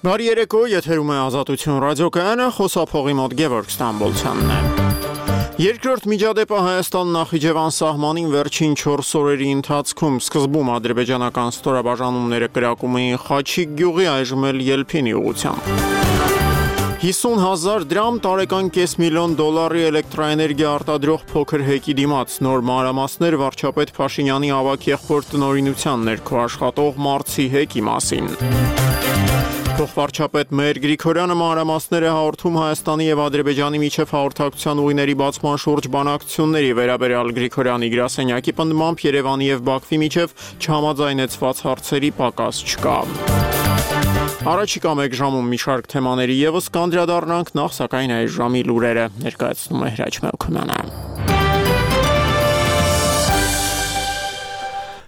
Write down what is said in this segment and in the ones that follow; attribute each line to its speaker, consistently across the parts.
Speaker 1: Բարի երեկո, եթերում է Ազատություն ռադիոկայանը, խոսափողի մոտ Գևորգ Ստամբոլցյանն է։ Երկրորդ միջադեպը Հայաստան-Նախիջևան սահմանին վերջին 4 օրերի ընթացքում սկզբում ադրբեջանական ստորաբաժանումները կրակում էին Խաչիկ գյուղի, այժմ էլ Ելփինի ուղղությամբ։ 50,000 դրամ տարեկան $500,000 էլեկտրաէներգիա արտադրող փոքր հեկի դիմաց նոր մանրամասներ վարչապետ Փաշինյանի ավագ եղբոր տնօրինության ներքո աշխատող Մարցի հեկի մասին։ Փոխվարչապետ Մհեր Գրիգորյանը մանրամասներ է հաղորդում Հայաստանի և Ադրբեջանի միջև հաղորդակցության ուղիների բացման շուրջ բանակցությունների վերաբերյալ Գրիգորյանի գրասենյակի պնդմամբ Երևանի և Բաքվի միջև չհամաձայնեցված հարցերի պակաս չկա։ Առաջիկա մեկ ժամում մի շարք թեմաների ևս կանդրադառնանք, նախ սակայն այս ժամի լուրերը ներկայացնում է Հրաչ Մելքումյանը։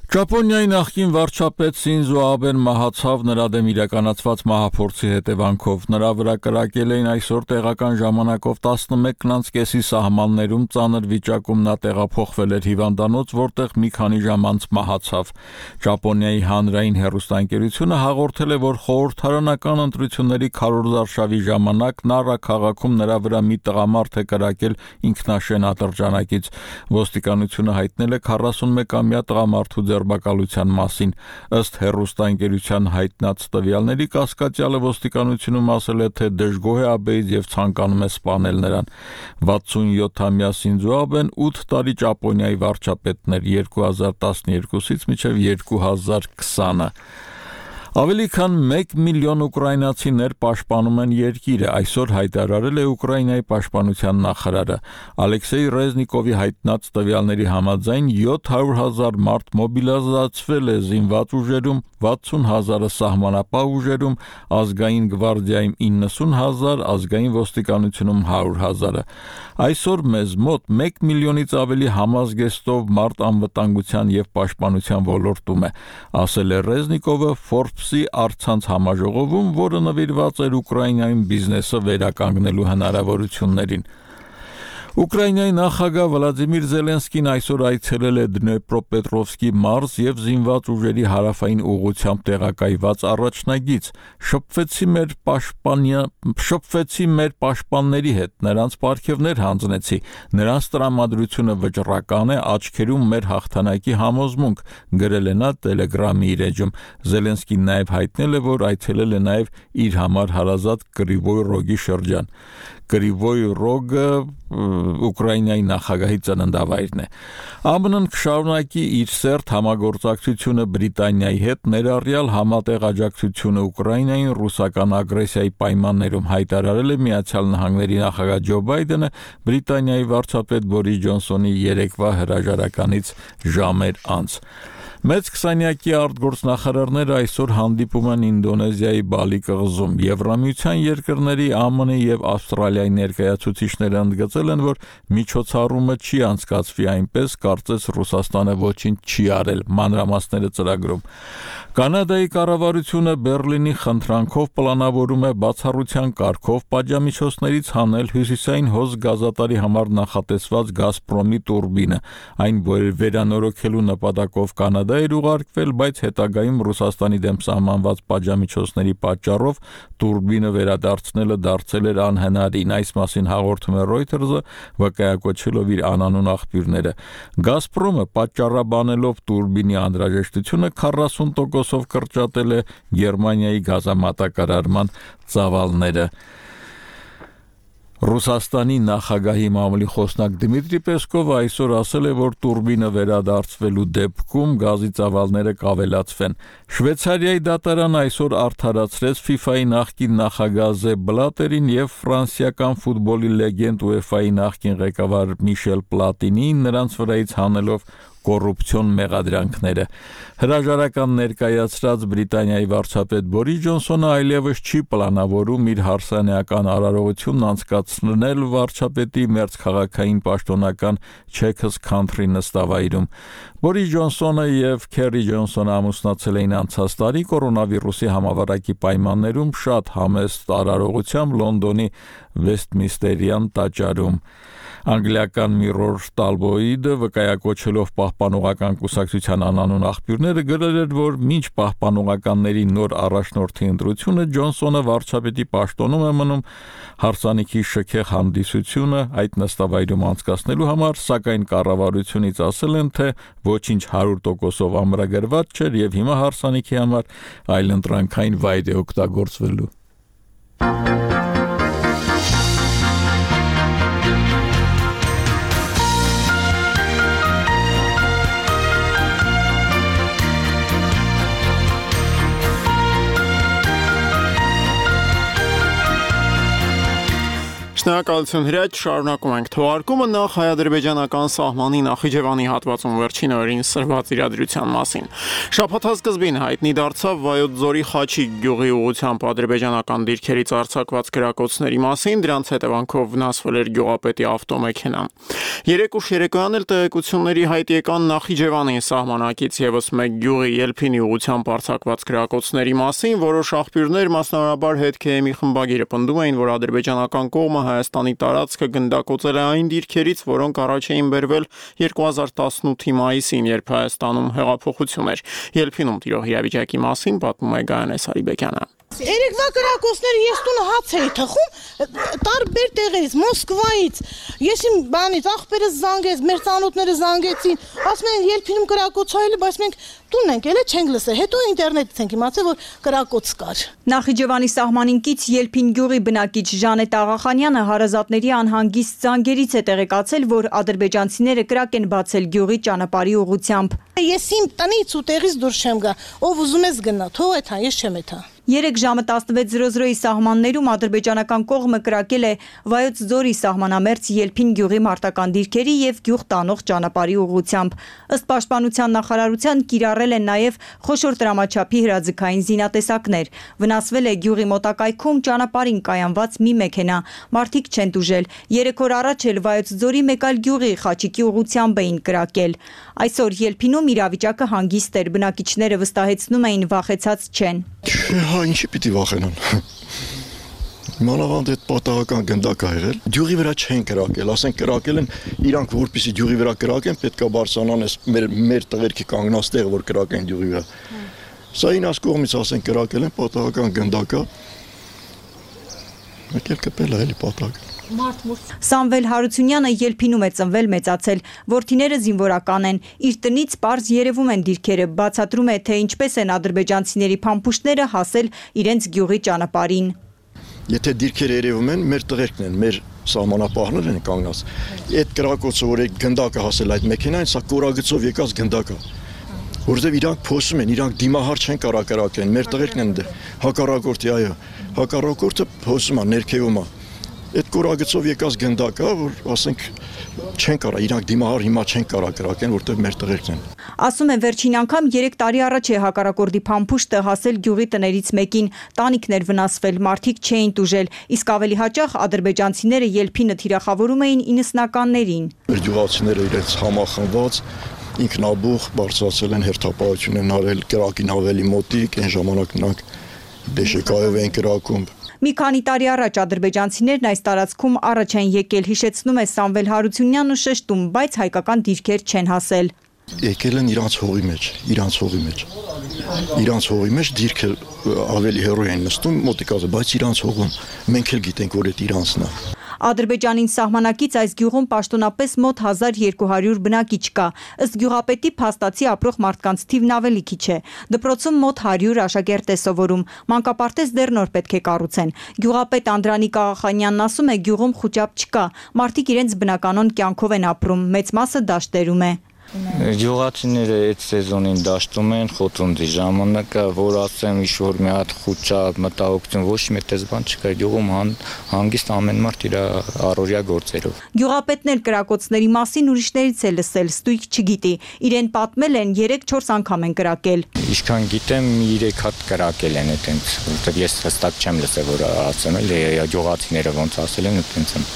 Speaker 2: Ճապոնիայի նախկին վարչապետ Սինզո Աբեն մահացավ նրա դեմ իրականացված մահափորձի հետևանքով։ Նրա վրա կրակել էին այսօր տեղական ժամանակով 11:30-ի սահմաններում, ծանր վիճակում նա տեղափոխվել էր հիվանդանոց, որտեղ մի քանի ժամ անց մահացավ։ Ճապոնիայի հանրային հեռուստաընկերությունը հաղորդել է, որ խորհրդարանական ընտրությունների քարոզարշավի ժամանակ Նարա քաղաքում նրա վրա մի տղամարդ է կրակել ինքնաշեն ատրճանակից։ Ոստիկանությունը հայտնել է 41-ամյա տղամարդու ձերբակալության մասին։ Ըստ հեռուստաընկերության հայտնած տվյալների, կասկածյալը ոստիկանությունում ասել է, թե դժգոհ է Աբեից եւ ցանկանում է սպանել նրան։ 67-ամյա Սինզո Աբեն 8 տարի Ճապոնիայի վարչապետն էր 2012-ից մինչև 2020-ը։ Ավելի քան 1 միլիոն ուկրաինացիներ պաշտպանում են երկիրը, այսօր հայտարարել է Ուկրաինայի պաշտպանության նախարարը։ Ալեքսեյ Ռեզնիկովի հայտնած տվյալների համաձայն 700,000 մարդ մոբիլիզացվել է զինված ուժերում, 60,000-ը սահմանապահ ուժերում, ազգային գվարդիայում 90,000, ազգային ոստիկանությունում 100,000-ը։ Այսօր մեզ մոտ 1 միլիոնից ավելի համազգեստով մարդ անվտանգության եւ պաշտպանության ոլորտում է, ասել է Ռեզնիկովը Forbes-ի առցանց համաժողովում, որը նվիրված էր Ուկրաինայում բիզնեսը վերականգնելու հնարավորություններին։ Ուկրաինայի նախագահ Վլադիմիր Զելենսկին այսօր այցելել է Դնեպրոպետրովսկի մարզ եւ զինված ուժերի հարավային ուղղությամբ տեղակայված առաջնագիծ։ Շփվեցի մեր պաշտպանների հետ, նրանց պարգևներ հանձնեցի, նրանց տրամադրությունը վճռական է, աչքերում մեր հաղթանակի համոզմունք, գրել է նա Telegram-ի իր էջում։ Զելենսկին նաեւ հայտնել է, որ այցելել է նաեւ իր համար հարազատ Կրիվոյ Ռոգի շրջան։ Կրիվոյ Ռոգը Ուկրաինայի նախագահի ծննդավայրն է։ ԱՄՆ-ն կշարունակի իր սերտ համագործակցությունը Բրիտանիայի հետ, ներառյալ համատեղ աջակցությունը Ուկրաինային ռուսական ագրեսիայի պայմաններում, հայտարարել է Միացյալ Նահանգների նախագահ Ջո Բայդենը Բրիտանիայի վարչապետ Բորիս Ջոնսոնի երեկվա հրաժարականից ժամեր անց։ Մեծ քսանյակի արտգործնախարարները այսօր հանդիպում են Ինդոնեզիայի Բալի կղզում։ Եվրամիության երկրների, ԱՄՆ-ի եւ Ավստրալիայի ներկայացուցիչները ընդգծել են, որ միջոցառումը չի անցկացվի այնպես, կարծես Ռուսաստանը ոչինչ չի արել, մանրամասները ծրագրում։ Կանադայի կառավարությունը Բերլինի խնդրանքով պլանավորում է բացառության կարգով պատժամիջոցներից հանել հյուսիսային հոս գազատարի համար նախատեսված Գազպրոմի տուրբինը։ Այն վերանորոգելու նպատակով Կանադա էր ուղարկվել, բայց հետագայում Ռուսաստանի դեմ սահմանված պատժամիջոցների պատճառով տուրբինը վերադարձնելը դարձել էր անհնարին։ Այս մասին հաղորդում է Reuters-ը, վկայակոչելով իր անանուն աղբյուրները։ Գազպրոմը պատճառաբանելով տուրբինի անհրաժեշտությունը 40%-ով կրճատել է Գերմանիայի գազամատակարարման ծավալները։ Ռուսաստանի նախագահի մամուլի խոսնակ Դմիտրի Պեսկովը այսօր ասել է, որ տուրբինը վերադարձվելու դեպքում գազի ծավալները կավելացվեն։ Շվեյցարիայի դատարանը այսօր արդարացրեց FIFA-ի նախկին նախագահ Զեփ Բլատերին եւ ֆրանսիական ֆուտբոլի լեգենդ UEFA-ի նախկին ղեկավար Միշել Պլատինին, նրանց վրայից հանելով կոռուպցիոն մեղադրանքները։ Հրաժարական ներկայացրած Բրիտանիայի վարչապետ Բորիս Ջոնսոնը այլևս չի պլանավորում իր հարսանեկան արարողությունն անցկացնել վարչապետի մերձքաղաքային պաշտոնական Chequers Country նստավայրում։ Բորիս Ջոնսոնը եւ Քերի Ջոնսոնը ամուսնացել էին անցած տարի կորոնավիրուսի համավարակի պայմաններում շատ համեստ արարողությամբ Լոնդոնի Վեսթմինստերյան տաճարում։ Անգլիական Mirror Tabloid-ը վկայակոչելով պահպանողական կուսակցության անանուն աղբյուրները գրել էր, որ մինչ պահպանողականների նոր առաջնորդի ընտրությունը Ջոնսոնը վարչապետի պաշտոնում է մնում հարսանիքի շքեղ հանդիսությունը այդ նստավայրում անցկացնելու համար, սակայն կառավարությունից ասել են, թե ոչինչ 100%-ով ամրագրված չէր եւ հիմա հարսանիքի համար այլընտրանքային վայր է օգտագործվելու։
Speaker 1: Շնորհակալություն Հրաչ, շարունակում ենք թողարկումը նախ հայ-ադրբեջանական սահմանի Նախիջևանի հատվածում վերջին օրերին սրված իրադրության մասին։ Շաբաթասկզբին հայտնի դարձավ Վայոց ձորի Խաչիկ գյուղի ուղղությամբ ադրբեջանական դիրքերից արձակված կրակոցների մասին, դրանց հետևանքով վնասվել էր գյուղապետի ավտոմեքենան։ Երեկ ուշ երեկոյան էլ տեղեկությունների հայտ եկան Նախիջևանի սահմանակից եւս մեկ գյուղի Ելփինի ուղղությամբ արձակված կրակոցների մասին, որոշ աղբյուրներ, մասնավորաբար ՀK-ի խմբագիրը պնդում էին, որ ադրբեջանական կողմը Հայաստանի տարածքը գնդակոծել է այն դիրքերից, որոնք առաջ էին բերվել 2018-ի մայիսին, երբ Հայաստանում հեղափոխություն էր։ Ելփինում տիրող իրավիճակի մասին պատմում է Գայանե Սարիբեկյանը։
Speaker 3: Երեկվա կրակոցները ես տունը հաց էի թխում, տարբեր տեղերից, Մոսկվայից, ես իմ բանից, աղբերս զանգեց, մեր ծանոթները զանգեցին, ասում են Ելփինում կրակոց հայել, բայց մենք տունն ենք ելել, չենք լսել, հետո ինտերնետից ենք իմացել, որ կրակոց կար։
Speaker 4: Նախիջևանի սահմանին կից Ելփին գյուղի բնակիչ Ժանետ Աղախանյանը հարազատների անհանգիստ զանգերից է տեղեկացել, որ ադրբեջանցիները կրակ են բացել գյուղի ճանապարհի ուղղությամբ։
Speaker 3: Ես իմ տնից ու տեղից դուրս չեմ գա, ով ուզում ես գնա, թող էթա, ես չեմ էթա։
Speaker 4: 3 ժամը 16:00-ի սահմաններում ադրբեջանական կողմը կրակել է Վայոց ձորի սահմանամերձ Ելփին գյուղի մարտական դիրքերի եւ գյուղ տանող ճանապարհի ուղղությամբ։ Ըստ Պաշտպանության նախարարության կիրառել են նաեւ խոշոր տրամաչափի հրաձգային զինատեսակներ։ Վնասվել է գյուղի մոտակայքում ճանապարհին կայանված մի մեքենա։ Մարդիկ չեն տուժել։ 3 օր առաջ էլ Վայոց ձորի մեկ այլ գյուղի Խաչիկի ուղղությամբ էին կրակել։ Այսօր Ելփինում իրավիճակը հանգիստ էր, բնակիչները վստահեցնում էին վախեցած չեն։
Speaker 5: Ինչի պիտի վախենան։ Մանավանդ այդ պատահական գնդակ ա եղել։ Գյուղի վրա չեն կրակել, ասենք կրակել են իրանք որպեսի գյուղի վրա կրակեն, պետքա բարձրանան էս մեր տղերքի կանգնած տեղը, որ կրակեն գյուղի վրա։ Սա ինաս կողմից ասենք կրակել են պատահական գնդակա։ Եկել կպել է էլի պատահական։
Speaker 4: Սամվել Հարությունյանը Ելփինում է ծնվել մեծացել, որդիները զինվորական են, իր տնից պարզ երևում են դիրքերը, բացատրում է, թե ինչպես են ադրբեջանցիների փամփուշտները հասել իրենց գյուղի ճանապարհին։
Speaker 5: Եթե դիրքերը երևում են, մեր տղերքն են, մեր սահմանապահներն են կանգնած։ Այդ կրակոցը, որ այդ գնդակը հասել այդ մեքենային, սա կորագծով եկած գնդակ է։ Որովհետև իրանք փոսում են, իրանք դիմահար չեն կարա կրակեն, մեր տղերքն են հակառակորդի, այո, հակառակորդը փոսում է, ներքևում է։ Այդ կորագծով եկած գնդակը, որ ասենք չեն կարա, իրանք դիմահար հիմա չեն կարա կրակեն, որտեղ մեր տղերքն են։
Speaker 4: Ասում են վերջին անգամ 3 տարի առաջ է հակառակորդի փամփուշտը հասել գյուղի տներից մեկին, տանիքներ վնասվել, մարդիկ չէին տուժել, իսկ ավելի հաճախ ադրբեջանցիները Ելփինը թիրախավորում էին 90-ականներին։
Speaker 5: Մեր գյուղացիները իրենց համախմբված ինքնաբուխ բարձրացել են հերթապահություն են արել կրակին ավելի մոտիկ, այն ժամանակ նրանք դեշեկայով են կրակում։
Speaker 4: Մի քանի տարի առաջ ադրբեջանցիներն այս տարածքում առաջ են եկել, հիշեցնում է Սամվել Հարությունյանն ու շեշտում, բայց հայկական դիրքեր չեն հասել։
Speaker 5: Եկել են իրանց հողի մեջ, իրանց հողի մեջ դիրքը ավելի հեռու են նստում մոտիկაზე, բայց իրանց հողում մենք էլ գիտենք, որ այդ իրանցն է։
Speaker 4: Ադրբեջանին սահմանակից այս գյուղում պաշտոնապես մոտ 1200 բնակիչ կա, ըստ գյուղապետի փաստացի ապրող մարդկանց թիվն ավելի քիչ է։ Դպրոցում մոտ 100 աշակերտ է սովորում, մանկապարտեզ դեռ նոր պետք է կառուցեն։ Գյուղապետ Անդրանիկ Աղախանյանն ասում է, գյուղում խուճապ չկա, մարդիկ իրենց բնականոն կյանքով են ապրում, մեծ մասը դաշտերում է։
Speaker 6: Գյուղացիները այդ սեզոնին դաշտում են խոթունձի ժամանակը, որ ասեմ ինչ-որ մի հատ խուճապ, մտահոգություն, ոչ մի տես բան չկա, գյուղում հանգիստ ամեն մարդ իր առօրյա գործերով։
Speaker 4: Գյուղապետն էլ կրակոցների մասին ուրիշներից է լսել, ստույգ չգիտի, իրեն պատմել են 3-4 անգամ են կրակել։
Speaker 6: Ինչքան գիտեմ 3 հատ կրակել են այդտենց, որտեղ ես հստակ չեմ լսել, որ ասեմ էլ գյուղացիները ոնց ասել են այդտենց եմ,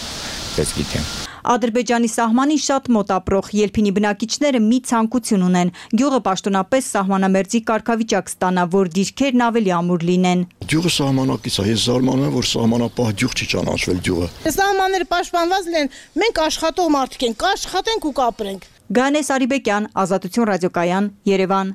Speaker 6: ես գիտեմ։
Speaker 4: Ադրբեջանի սահմանին շատ մոտ ապրող Ելփինի բնակիչները մի ցանկություն ունեն։ Գյուղը պաշտոնապես սահմանամերձի կարգավիճակ ստանա, որ դիրքերն ավելի ամուր լինեն։
Speaker 5: Գյուղը սահմանակից է, ես զարմանում եմ, որ սահմանապահ գյուղ չի ճանաչվել գյուղը։
Speaker 3: Սահմանները պաշտպանված լինեն, մենք աշխատող մարդիկ ենք, կաշխատենք ու կապրենք։
Speaker 4: Գանե Սարիբեկյան, Ազատություն ռադիոկայան, Երևան։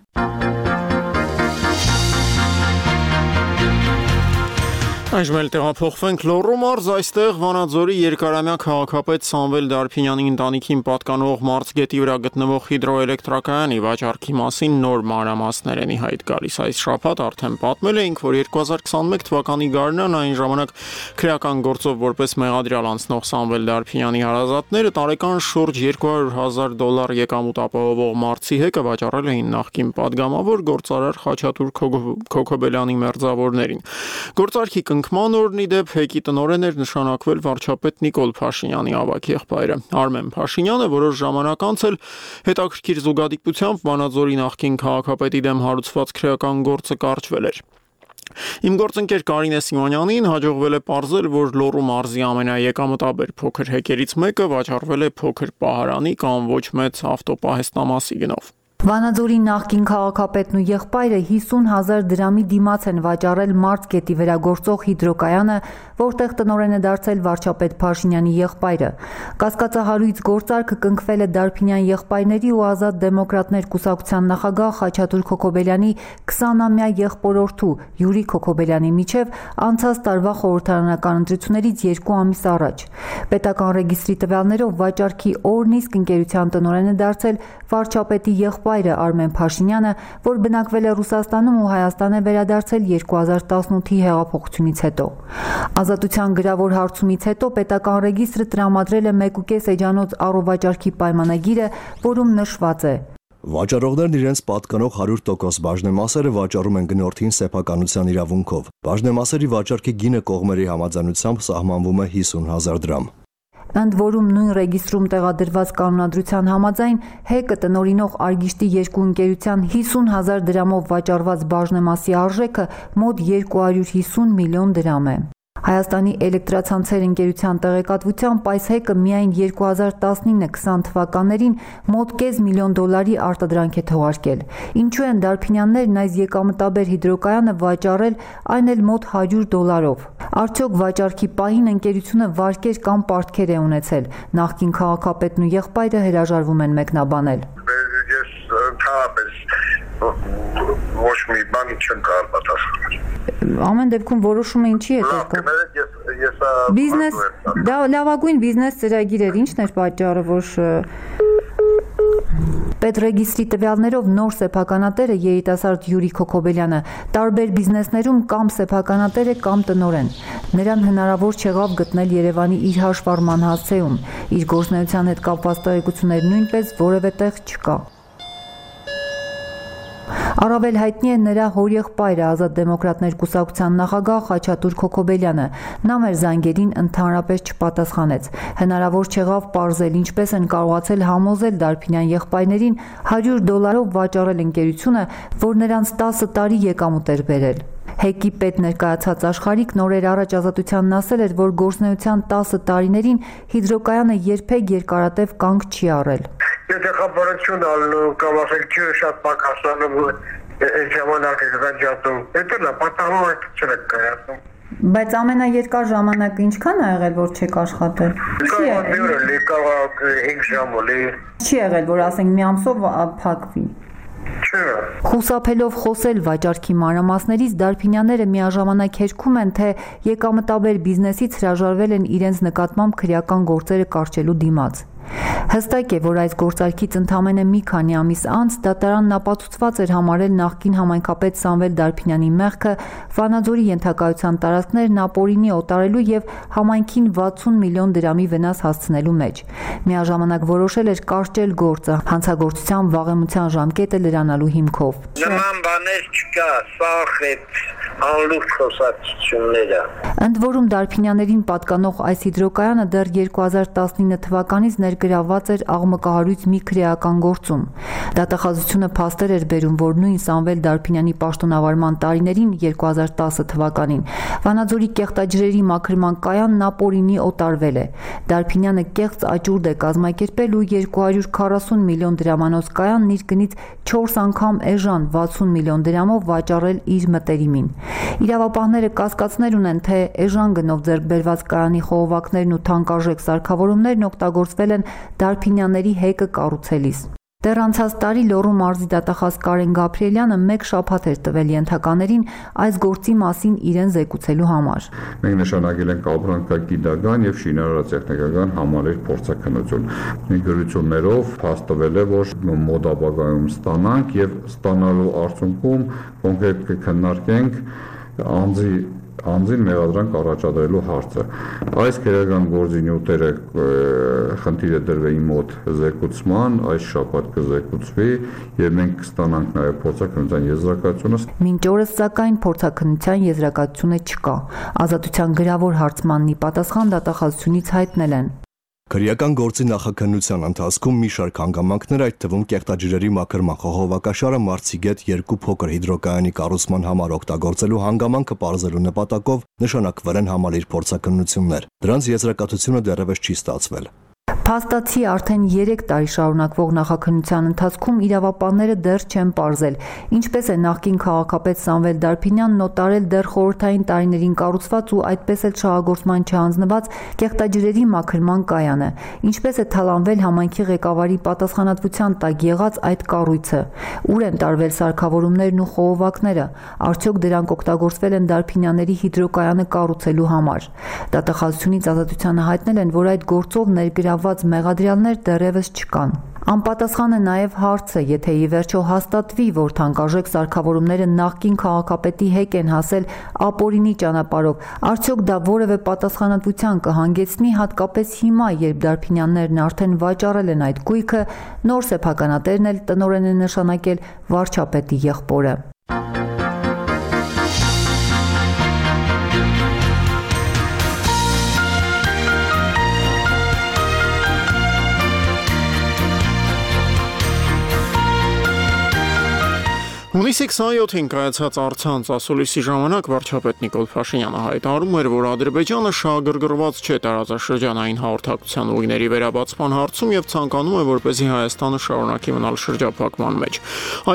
Speaker 1: Այժմ էլ տեղափոխվենք Լոռու մարզ, այստեղ Վանաձորի երկարամյա քաղաքապետ Սամվել Դարփինյանի ընտանիքին պատկանող Մարզգետի վրա գտնվող հիդրոէլեկտրակայանի վաճառքի մասին նոր մանրամասներ են ի հայտ գալիս։ Այս շաբաթ արդեն պատմել էինք, որ 2021 թվականի գարնան այն ժամանակ քրեական գործով որպես մեղադրյալ անցնող Սամվել Դարփինյանի հարազատները տարեկան շուրջ $200,000 եկամուտ ապահովող Մարզի հեկը վաճառել էին նախկին падգամավոր գործարար Խաչատուր Քոքոբելյանի մերձավորներին։ Գործարքի կնքման օրն ի դեպ հեկի տնօրեն էր նշանակվել վարչապետ Նիկոլ Փաշինյանի ավագ եղբայրը Արմեն Փաշինյանը, որոշ ժամանակ անց էլ հետաքրքիր զուգադիպությամբ Վանաձորի նախկին քաղաքապետի դեմ հարուցված քրեական գործը կարճվել էր։ Իմ գործընկեր Կարինե Սիմոնյանին հաջողվել է պարզել, որ Լոռու մարզի ամենաեկամտաբեր փոքր հեկերից մեկը վաճառվել է փոքր պահարանի կամ ոչ մեծ ավտոպահեստամասի գնով։
Speaker 7: Վանաձորի նախկին քաղաքապետն ու եղբայրը 50,000 դրամի դիմաց են վաճառել Մարզգետի վերագործող հիդրոկայանը, որտեղ տնօրեն է դարձել վարչապետ Փաշինյանի եղբայրը։ Կասկածահարույց գործարքը կնքվել է Դարփինյան եղբայրների ու Ազատ դեմոկրատներ կուսակցության նախագահ Խաչատուր Քոքոբելյանի 20-ամյա եղբորորդու Յուրի Քոքոբելյանի միջև անցած տարվա խորհրդարանական ընտրություններից 2 ամիս առաջ։ Պետական ռեգիստրի տվյալներով վաճառքի օրն իսկ ընկերության տնօրեն է դարձել վարչապետի եղբայրը Արմեն Փաշինյանը, որ բնակվել է Ռուսաստանում ու Հայաստան է վերադարձել 2018-ի հեղափոխությունից հետո։ Ազատության գրավոր հարցումից հետո պետական ռեգիստրը տրամադրել է 1.5 էջանոց առովաճառքի պայմանագիրը, որում նշված է.
Speaker 8: Վաճառողներն իրենց պատկանող 100% բաժնեմասերը վաճառում են գնորդին սեփականության իրավունքով։ Բաժնեմասերի վաճառքի գինը կողմերի համաձայնությամբ սահմանվում է 50,000 դրամ։
Speaker 7: Ընդ որում նույն ռեգիստրում տեղադրված կանոնադրության համաձայն հեկը տնօրինող Արգիշտի երկու ընկերության 50,000 դրամով վաճառված բաժնեմասի արժեքը մոտ 250 միլիոն դրամ է։ Հայաստանի էլեկտրացանցեր ընկերության տեղեկատվությամբ այս հեկը միայն 2019-20 թվականներին մոտ $500,000 արտադրանք է թողարկել։ Ինչու են Դարփինյաններն այս եկամտաբեր հիդրոկայանը վաճառել, այն էլ մոտ $100-ով։ Արդյոք վաճառքի պահին ընկերությունը վարկեր կամ պարտքեր է ունեցել։ Նախկին քաղաքապետն ու եղբայրը հրաժարվում են մեկնաբանել։
Speaker 9: Ես ընդհանրապես ոչ մի բան չեմ կարող պատասխանել։
Speaker 7: Ամեն դեպքում որոշումը ինչի հետ էր։ Բիզնես, դա լավագույն բիզնես ծրագիր էր, ինչն էր պատճառը, որ Պետրեգիստրի տվյալներով նոր սեփականատերը երիտասարդ Յուրի Քոքոբելյանը տարբեր բիզնեսներում կամ սեփականատեր է կամ տնօրեն։ Նրան հնարավոր չեղավ գտնել Երևանի իր հաշվառման հասցեում։ Իր գործունեության հետ կապված տեղեկություններ նույնպես որևէ տեղ չկա։ Առավել հայտնի է նրա հորեղբայրը Ազատ դեմոկրատներ կուսակցության նախագահ Խաչատուր Քոքոբելյանը։ Նա մեր զանգերին ընդհանրապես չպատասխանեց։ Հնարավոր չեղավ պարզել ինչպես են կարողացել համոզել Դարփինյան եղբայրներին $100-ով վաճառել ընկերությունը, որ նրանց 10 տարի եկամուտ էր բերել։ Հեկի պետ ներկայացած Աշխարհիկ նորեր առաջ Ազատությանն ասել էր, որ գործունեության 10 տարիներին հիդրոկայանը երբեք երկարատև կանգ չի առել։
Speaker 9: Եթե խաբարություն ալնում կամ ասենք ջուրը շատ պակասանում այդ ժամանակը գրանջատում, դա լավ պատահում է չեք կայացնում։
Speaker 7: Բայց ամենաերկար ժամանակը ինչքան է եղել, որ չեք աշխատել։
Speaker 9: Չի եղել 5 ժամ օլի։
Speaker 7: Չի եղել, որ ասենք մի ամսով փակվի։ Խուսափելով խոսել վաճառքի մանրամասներից Դարփինյանները միաժամանակ հերքում են, թե եկամտաբեր բիզնեսից հրաժարվել են իրենց նկատմամբ քրեական գործերը կարճելու դիմաց։ Հստակ է, որ այս գործարքից ընդամենը մի քանի ամիս անց դատարանն ապացուցված էր համարել նախկին համայնքապետ Սամվել Դարփինյանի մեղքը Վանաձորի ենթակայության տարածքներն ապօրինի օտարելու եւ համայնքին 60 միլիոն դրամի վնաս հասցնելու մեջ։ Միաժամանակ որոշել էր կարճել գործը հանցագործության վաղեմության ժամկետը լրանալու հիմքով։
Speaker 9: Նման բաներ չկա, սաղ է անլուրջ խոսակցությունները։
Speaker 7: Ընդ որում Դարփինյաններին պատկանող այս հիդրոկայանը դեռ 2019 թվականից ներգրավված էր աղմկահարույց մի քրեական գործում։ Դատախազությունը փաստեր էր բերում, որ նույն Սամվել Դարփինյանի պաշտոնավարման տարիներին 2010 թվականին Վանաձորի կեղտաջրերի մաքրման կայանն ապօրինի օտարվել է։ Դարփինյանը կեղծ աճուրդ է կազմակերպել ու 240 միլիոն դրամանոց կայանն իր գնից 4 անգամ էժան 60 միլիոն դրամով վաճառել իր մտերիմին։ Իրավապահները կասկածներ ունեն, թե էժան գնով ձեռք բերված կայանի խողովակներն ու թանկարժեք սարքավորումներն օգտագործվել են Դարփինյանների հեկը կառուցելիս։ Դեռ անցած տարի Լոռու մարզի դատախազ Կարեն Գաբրիելյանը մեկ շաբաթ էր տվել ենթականերին այս գործի մասին իրեն զեկուցելու համար։
Speaker 10: Մենք նշանակել ենք ապրանքագիտական եւ շինարարատեխնիկական համալիր փորձաքննություն։ Գրություններով հաստատվել է, որ մոտ ապագայում ստանանք եւ ստանալու արդյունքում կոնկրետ կքննարկենք անձին մեղադրանք առաջադրելու հարցը։ Այս քրեական գործի նյութերը խնդիրը դրվի իմ մոտ զեկուցման, այս շաբաթ կզեկուցվի եւ մենք կստանանք նաեւ փորձաքննության եզրակացությունը։
Speaker 7: Մինչ օրս սակայն փորձաքննության եզրակացությունը չկա։ Ազատության գրավոր հարցմանն ի պատասխան դատախազությունից հայտնել են։
Speaker 8: Քրեական գործի նախաքննության ընթացքում մի շարք հանգամանքներ, այդ թվում կեղտաջրերի մաքրման խողովակաշարը Մարցիգետ 2 փոքր հիդրոկայանի կառուցման համար օգտագործելու հանգամանքը պարզելու նպատակով նշանակվել են համալիր փորձաքննություններ։ Դրանց եզրակացությունը դեռևս չի ստացվել։
Speaker 7: Փաստացի արդեն 3 տարի շարունակվող նախաքննության ընթացքում իրավապահները դեռ չեն պարզել, ինչպես է նախկին քաղաքապետ Սամվել Դարփինյանն նոտարել դեռ խորհրդային տարիներին կառուցված ու այդպես էլ շահագործման չհանձնված կեղտաջրերի մաքրման կայանը, ինչպես է թալանվել համայնքի ղեկավարի պատասխանատվության տակ եղած այդ կառույցը, ուր են տարվել սարքավորումներն ու խողովակները, արդյոք դրանք օգտագործվել են Դարփինյանների հիդրոկայանը կառուցելու համար։ Դատախազությունից ազատությանը հայտնել են, որ այդ գործով ներգրավված մեղադրյալներ դեռևս չկան։ Անպատասխան է նաև հարցը, եթե ի վերջո հաստատվի, որ թանկարժեք սարքավորումները նախկին քաղաքապետի հեկ են հասել ապօրինի ճանապարհով, արդյոք դա որևէ պատասխանատվության կհանգեցնի, հատկապես հիմա, երբ Դարփինյաններն արդեն վաճառել են այդ գույքը, նոր սեփականատերն էլ տնօրեն է նշանակել վարչապետի եղբորը։
Speaker 1: Հունիսի 27-ին կայացած առցանց ասուլիսի ժամանակ վարչապետ Նիկոլ Փաշինյանը հայտարարում էր, որ Ադրբեջանը շահագրգռված չէ տարածաշրջանային հաղորդակցության ուղիների վերաբացման հարցում եւ ցանկանում է, որպեսզի Հայաստանը շարունակի մնալ շրջափակման մեջ։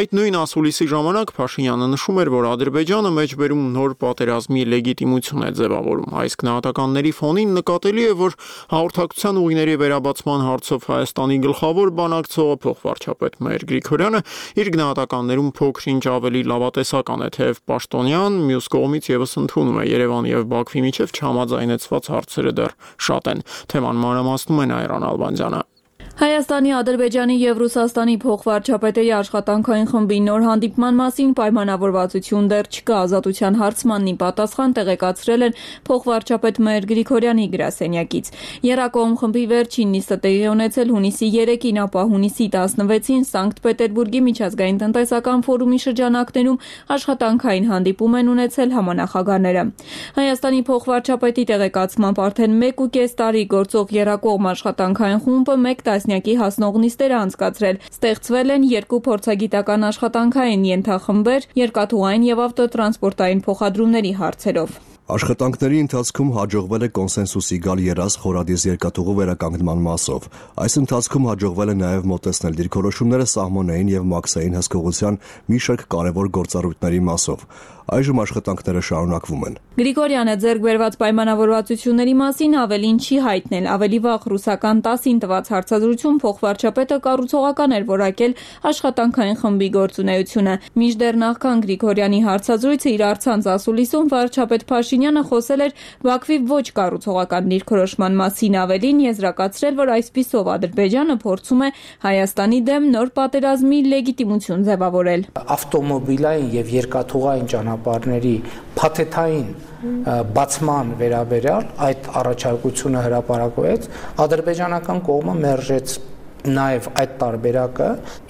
Speaker 1: Այդ նույն ասուլիսի ժամանակ Փաշինյանը նշում էր, որ Ադրբեջանը մեջբերում նոր պատերազմի լեգիտիմություն է ձևավորում։ Այս գնահատականների ֆոնին նկատելի է, որ հաղորդակցության ուղիների վերաբացման հարցով Հայաստանի գլխավոր բանակցողը փոխվարչապետ Մհեր Գրիգորյանը իր գնահատականներում փոքր ինչ ավելի լավատեսական է, թեև պաշտոնյան, մյուս կողմից եւս ընդունում է Երևանի եւ Բաքվի միջև չհամաձայնեցված հարցերը դեռ շատ են։ Թեման մանրամասնում է Նայրան Ալբանդյանը։
Speaker 11: Հայաստանի, Ադրբեջանի եւ Ռուսաստանի փոխվարչապետերի աշխատանքային խմբի նոր հանդիպման մասին պայմանավորվածություն դեռ չկա, ազատության հարցմանն ի պատասխան տեղեկացրել են փոխվարչապետ Մհեր Գրիգորյանի գրասենյակից։ Եռակողմ խմբի վերջին նիստը տեղի ունեցել հունիսի 3-ին, ապա հունիսի 16-ին Սանկտ Պետերբուրգի միջազգային տնտեսական ֆորումի շրջանակներում աշխատանքային հանդիպում են ունեցել համանախագահները։ Հայաստանի փոխվարչապետի տեղեկացմամբ արդեն 1.5 տարի գործող եռակողմ աշխատանքային խումբը 1 տասնյակի հասնող նիստեր անցկացրել։ Ստեղծվել են 2 փորձագիտական աշխատանքային ենթախմբեր երկաթուղային եւ ավտոտրանսպորտային փոխադրումների հարցերով։
Speaker 8: Աշխատանքների ընթացքում հաջողվել է կոնսենսուսի գալ երազ խորադիս երկաթուղու վերականգնման մասով։ Այս ընթացքում հաջողվել է նաև մոտեցնել դիրքորոշումները սահմանային եւ մաքսային հսկողության մի շարք կարևոր գործառույթների մասով։ Այժմ աշխատանքները շարունակվում են։
Speaker 11: Գրիգորյանը ձեռք բերված պայմանավորվածությունների մասին ավելին չի հայտնել։ Ավելի վաղ ռուսական ՏԱՍ-ին տված հարցազրույցում փոխվարչապետը կառուցողական էր որակել աշխատանքային խմբի գործունեությունը։ Մինչդեռ նախքան Գրիգորյանի հարցազրույցը իր առցանց ասուլիսում վարչապետ Փաշինյանը խոսել էր Բաքվի ոչ կառուցողական դիրքորոշման մասին, ավելին եզրակացրել, որ այսպիսով Ադրբեջանը փորձում է Հայաստանի դեմ նոր պատերազմի լեգիտիմություն ձևավորել։
Speaker 12: Ավտոմոբիլային եւ երկաթուղային ճանապարհների փաթեթային բացման վերաբերյալ այդ առաջարկությունը հրապարակվեց, ադրբեջանական կողմը մերժեց նաև այդ տարբերակը։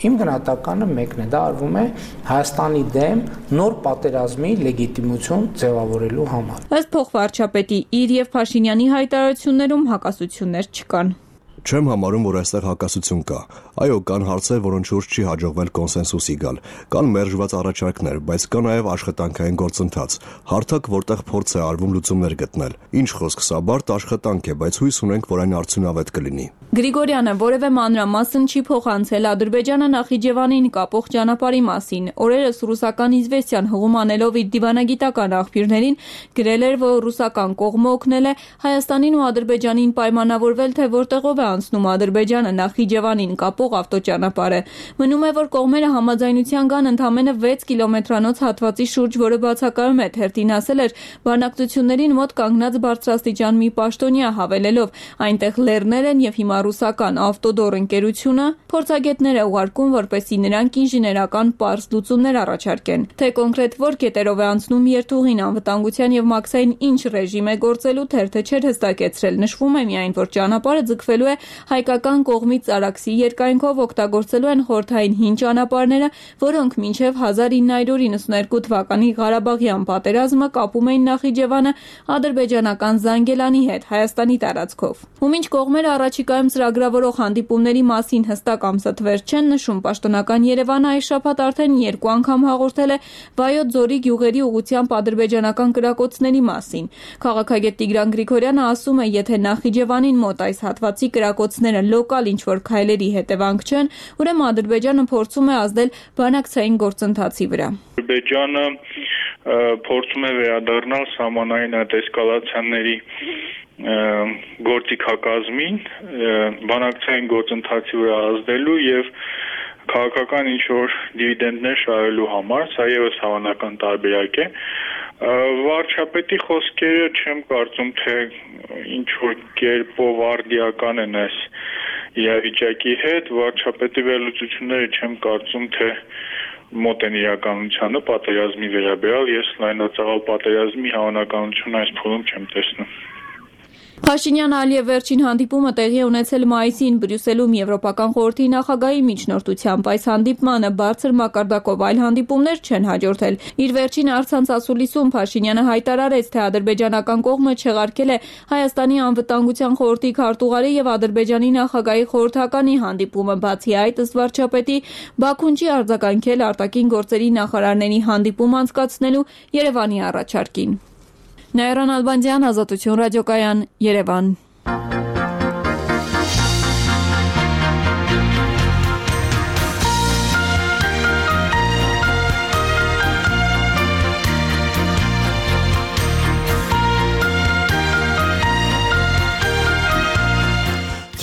Speaker 12: Իմ գնահատականը մեկն է, դա արվում է Հայաստանի դեմ նոր պատերազմի լեգիտիմություն ձևավորելու համար։
Speaker 11: Ըստ փոխվարչապետի իր եւ Փաշինյանի հայտարարություններում հակասություններ չկան։
Speaker 8: Չեմ համարում, որ այստեղ հակասություն կա։ Այո, կան հարցեր, որոնց շուրջ չի հաջողվել կոնսենսուսի գալ։ Կան մերժված առաջարկներ, բայց կա նաև աշխատանքային գործընթաց, հարթակ, որտեղ փորձ է արվում լուծումներ գտնել։ Ինչ խոսք, սա բարդ աշխատանք է, բայց հույս ունենք, որ այն արդյունավետ կլինի։
Speaker 11: Գրիգորյանը որևէ մանրամասն չի փոխանցել Ադրբեջանը Նախիջևանին կապող ճանապարհի մասին։ Օրերս ռուսական Իզվեստիան հղում անելով իր դիվանագիտական աղբյուրներին գրել էր, որ ռուսական կողմը օգնել է Հայաստանին ու Ադրբեջանին պայմանավորվել, թե որտեղով է անցնում Ադրբեջանը Նախիջևանին կապող ավտոճանապարհը։ Մնում է, որ կողմերը համաձայնության կան ընդամենը 6 կիլոմետրանոց հատվածի շուրջ, որը բացակայում է թերթին ասել էր բանակցություններին մոտ կանգնած բարձրաստիճան մի պաշտոնյա, հավելելով այնտեղ լեռներ են եւ հիմա ռուսական ավտոդոր ընկերությունը փորձագետներ է ուղարկում, որպեսզի նրանք ինժեներական պարզ լուծումներ առաջարկեն։ Թե կոնկրետ որ կետերով է անցնում երթուղին, անվտանգության եւ մաքսային ինչ ռեժիմ է գործելու, թերթը չէր հստակեցրել։ Նշվում է միայն, որ ճանապարհը ձգվելու է հայկական կողմից Արաքսի երկայնքով, օգտագործելու են խորհրդային հին ճանապարհները, որոնք մինչև 1992 թվականի Ղարաբաղյան պատերազմը կապում էին Նախիջևանը ադրբեջանական Զանգելանի հետ Հայաստանի տարածքով։ Ու մինչ կողմերը առաջիկայում ծրագրավորող հանդիպումների մասին հստակ ամսաթվեր չեն նշում, պաշտոնական Երևանը այս շաբաթ արդեն 2 անգամ հաղորդել է Վայոց ձորի գյուղերի ուղղությամբ ադրբեջանական կրակոցների մասին։ Քաղաքագետ Տիգրան Գրիգորյանը ասում է, եթե Նախիջևանին մոտ այս հատվածի կրակոցները լոկալ ինչ-որ քայլերի հետևանք չեն, ուրեմն Ադրբեջանը փորձում է ազդել բանակցային գործընթացի վրա։
Speaker 13: Ադրբեջանը փորձում է վերադառնալ սահմանային այդ էսկալացիաների գործիքակազմին, բանակցային գործընթացի վրա ազդելու եւ քաղաքական ինչ-որ դիվիդենդներ շահելու համար, սա ևս հավանական տարբերակ է։ Վարչապետի խոսքերը չեմ կարծում, թե ինչ-որ կերպով արդիական են այս իրավիճակի հետ, վարչապետի վերլուծությունները չեմ կարծում, թե մոտ են իրականությանը պատերազմի վերաբերյալ, ես լայնածավալ պատերազմի հավանականություն այս փուլում չեմ տեսնում։
Speaker 11: Փաշինյան-Ալիև վերջին հանդիպումը տեղի է ունեցել մայիսին Բրյուսելում Եվրոպական խորհրդի նախագահի միջնորդությամբ։ Այս հանդիպմանը բարձր մակարդակով այլ հանդիպումներ չեն հաջորդել։ Իր վերջին առցանց ասուլիսում Փաշինյանը հայտարարեց, թե ադրբեջանական կողմը չեղարկել է Հայաստանի անվտանգության խորհրդի քարտուղարի եւ Ադրբեջանի նախագահի խորհրդականի հանդիպումը։ Բացի այդ, ըստ վարչապետի, Բաքուն չի արձագանքել արտաքին գործերի նախարարների հանդիպում անցկացնելու Երևանի առաջարկին։ Նաիրան Ալբանդյան, Ազատություն ռադիոկայան, Երևան։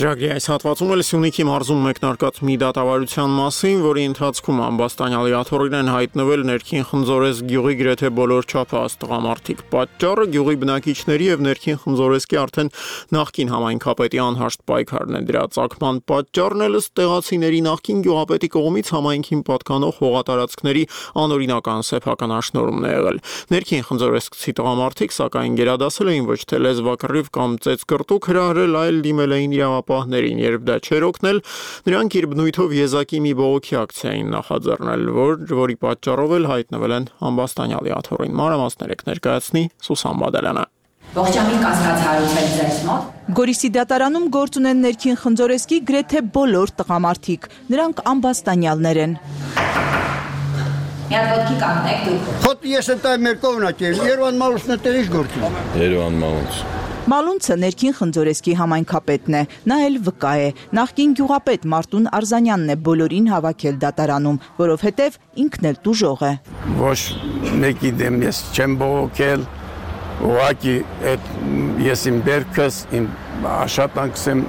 Speaker 1: Ծրագրի այս հատվածում էլ Սյունիքի մարզում մեկնարկած մի դատավարության մասին, որի ընթացքում ամբաստանյալի աթոռին են հայտնվել ներքին Խնձորես գյուղի գրեթե բոլոր չափահաս տղամարդիկ։ Պատճառը գյուղի բնակիչների եւ ներքին Խնձորեսկի արդեն նախկին համայնքապետի անհաշտ պայքարն է։ Դրա ծագման պատճառն էլ ըստ տեղացիների նախկին գյուղապետի կողմից համայնքին պատկանող հողատարածքների անօրինական սեփականաշնորհումն է եղել։ Ներքին Խնձորեսկցի տղամարդիկ սակայն գերադասել էին ոչ թե լեզվակռիվ կամ ծեծկրտուկ հրահրել, այլ դիմել էին իրավապահներին, երբ դա չէր օգնել, նրանք իր բնույթով եզակի մի բողոքի ակցիա էին նախաձեռնել, որի պատճառով էլ հայտնվել են ամբաստանյալի աթոռին։ Մանրամասներ եք ներկայացնի Սուսան Բադալյանը։
Speaker 14: Ողջամիտ կասկած հարուցել ձեզ մոտ։
Speaker 3: Գորիսի դատարանում գործ ունեն ներքին Խնձորեսկի գրեթե բոլոր տղամարդիկ, նրանք ամբաստանյալներ են։
Speaker 14: Մի հատ ոտքի կանգնեք դուք։
Speaker 15: Խոտ ես ընտայ մեր կողմնակ եմ, Երևան Մալունցն է տեղից գործում։
Speaker 16: Երևան Մալունց։
Speaker 3: Մալունցը ներքին Խնձորեսկի համայնքապետն է, նա էլ վկա է։ Նախկին գյուղապետ Մարտուն Արզանյանն է բոլորին հավաքել դատարանում, որովհետև ինքն էլ տուժող է։
Speaker 17: Ոչ մեկի դեմ ես չեմ բողոքել, ուղղակի ես իմ բերքս, իմ աշխատանքս եմ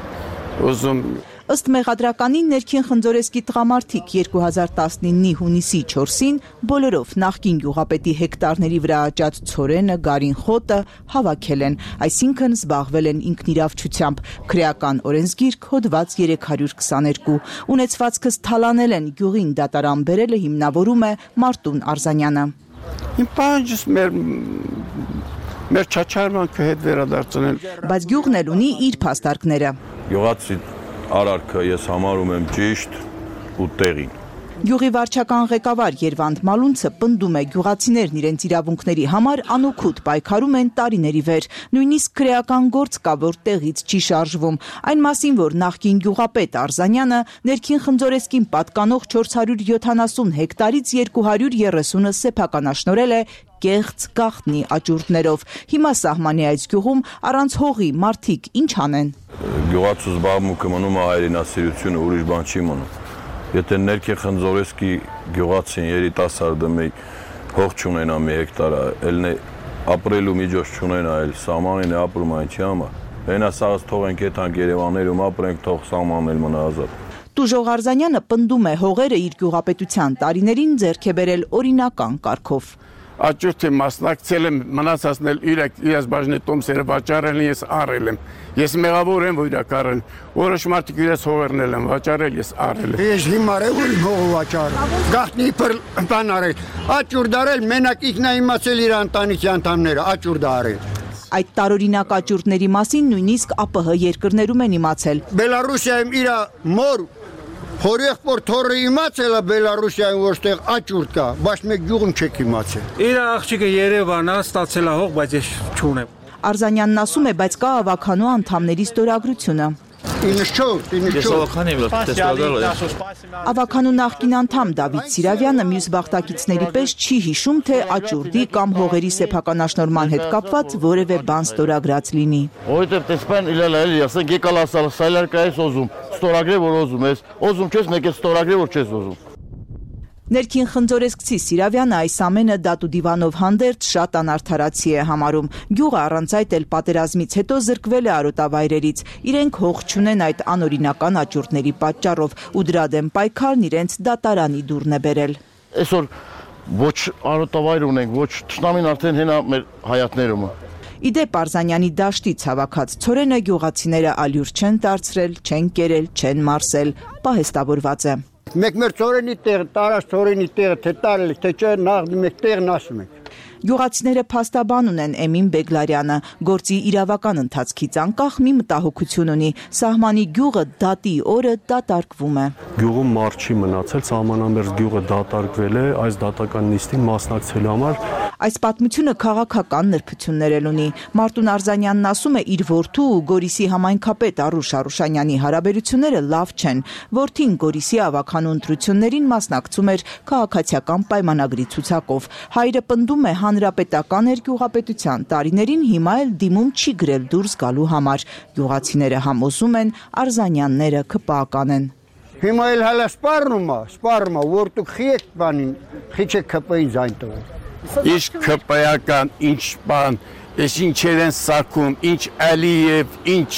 Speaker 17: ուզում։
Speaker 3: Ըստ մեղադրականի ներքին Խնձորեսկի տղամարդիկ 2019-ի հունիսի 4-ին բոլորով նախկին գյուղապետի հեկտարների վրա աճած ցորենը, գարին խոտը հավաքել են, այսինքն զբաղվել են ինքնիրավչությամբ։ Քրեական օրենսգիրք հոդված 322։ Ունեցվածքս թալանել են, գյուղին դատարան բերելը հիմնավորում է Մարտուն Արզանյանը։
Speaker 17: Իմ պահանջս մեր չաչարմանքը հետ վերադարձնել։
Speaker 3: Բայց գյուղն էլ ունի իր փաստարկները։
Speaker 16: Գյուղացի արարքը ես համարում եմ ճիշտ ու տեղին։ Գյուղի վարչական ղեկավար Երվանդ Մալունցը պնդում է գյուղացիներն իրենց իրավունքների համար անօգուտ պայքարում են տարիների վեր, նույնիսկ քրեական գործ կա, որ տեղից չի շարժվում, այն մասին, որ նախկին գյուղապետ Արզանյանը ներքին Խնձորեսկին պատկանող 470 հեկտարից 230-ը սեփականաշնորել է կեղծ գաղտնի աճուրդներով։ Հիմա սահմանի այս գյուղում առանց հողի մարդիկ ինչ անեն։
Speaker 18: Գյուղացու զբաղմունքը մնում է հայրենասիրությունը, ուրիշ բան չի մնում։ Եթե ներքին Խնձորեսկի գյուղացին երիտասարդը մի հող չունենա մի հեկտար, ելն ապրելու միջոց չունենա, էլ սահմանին է ապրում այն չի համար։ Հենասաղած թողենք եթանք Երևաններում ապրենք, թող սահմանն էլ մնա ազատ։
Speaker 16: Տուժող Արզանյանը պնդում է հողերը իր գյուղապետության տարիներին ձեռք է բերել օրինական կարգով։
Speaker 17: Աճուրդի մասնակցել եմ, մնացածն էլ իրաց բաժնի տոմսերը վաճառել են, ես առել եմ։ Ես մեղավոր եմ, որ իրակ առել։ Որոշ մարդիկ իրաց հողերն են վաճառել, ես առել եմ։
Speaker 15: Ես հիմար եմ, որ հողը վաճառել։ Գաղտնի բան արել։ Աճուրդ արել, մենակ ինքն է իմացել իր ընտանիքի անդամները, աճուրդ արել։
Speaker 16: Այդ տարօրինակ աճուրդների մասին նույնիսկ ԱՊՀ երկրներում են իմացել։
Speaker 15: Բելարուսիայում իր մոր Հորեղբոր թորը իմացել է Բելարուսիայում, որտեղ աճուրդ կա, բայց մեկ գյուղում չեք իմացել։
Speaker 19: Իր աղջիկը Երևանն է, ստացել է հող, բայց ես չունեմ։
Speaker 16: Արզանյանն ասում է, բայց կա ավականու անդամների ստորագրությունը։ Ավականու նախկին անդամ Դավիթ Սիրավյանը մյուս բախտակիցների պես չի հիշում, թե աճուրդի կամ հողերի սեփականաշնորհման հետ կապված որևէ բան ստորագրած լինի։
Speaker 20: Որովհետև տեսփան իլալայել ասենք եկալ ասալ սայլարկայես օզում, ստորագրե որ օզում ես, օզում չես, մեկ է ստորագրե որ չես օզում։
Speaker 16: Ներքին Խնձորեսկցի Սիրավյանը այս ամենը դատուդիվանով հանդերձ շատ անարդարացի է համարում։ Գյուղը առանց այդ էլ պատերազմից հետո զրկվել է արոտավայրերից։ Իրենք հող չունեն այդ անօրինական աճուրդների պատճառով ու դրա դեմ պայքարն իրենց դատարանի դուրն է բերել։
Speaker 20: Այսօր ոչ արոտավայր ունենք, ոչ թշնամին արդեն հենա մեր հայատներում։
Speaker 16: Իդեպ Արզանյանի դաշտից հավաքած ցորենը գյուղացիները ալյուր չեն դարձրել, չեն կերել, չեն մարսել, պահեստավորված է։
Speaker 15: Մեկ մեր ծորենի տեղը, տարած ծորենի տեղը, թե տարել, թե չէ, նախ մեկ տեղն ասում ենք։
Speaker 16: Գյուղացիները փաստաբան ունեն Էմին Բեգլարյանը, գործի իրավական ընթացքից անկախ մի մտահոգություն ունի, սահմանի գյուղը դատի օրը դատարկվում է։
Speaker 21: Գյուղում մարդ չի մնացել, սահմանամերձ գյուղը դատարկվել է, այս դատական նիստին մասնակցելու համար։
Speaker 16: Այս պատմությունը քաղաքական նրբություններ էլ ունի։ Մարտուն Արզանյանն ասում է, իր որդու ու Գորիսի համայնքապետ Արուշ Արուշանյանի հարաբերությունները լավ չեն։ Որդին Գորիսի ավականու ընտրություններին մասնակցում էր քաղաքացիական պայմանագրի ցուցակով։ Հայրը պնդում է հանրապետական էր գյուղապետության տարիներին, հիմա էլ դիմում չի գրել դուրս գալու համար։ Գյուղացիները համոզում են, Արզանյանները քպական են։
Speaker 15: Հիմա էլ հələ սպառնում է, որ դուք խիեք բանին, խիչեք քպային ձայն տվեք։
Speaker 17: Ինչ քպայական, ինչ բան, ես ինչեր են սարքում, ինչ Ալիև, ինչ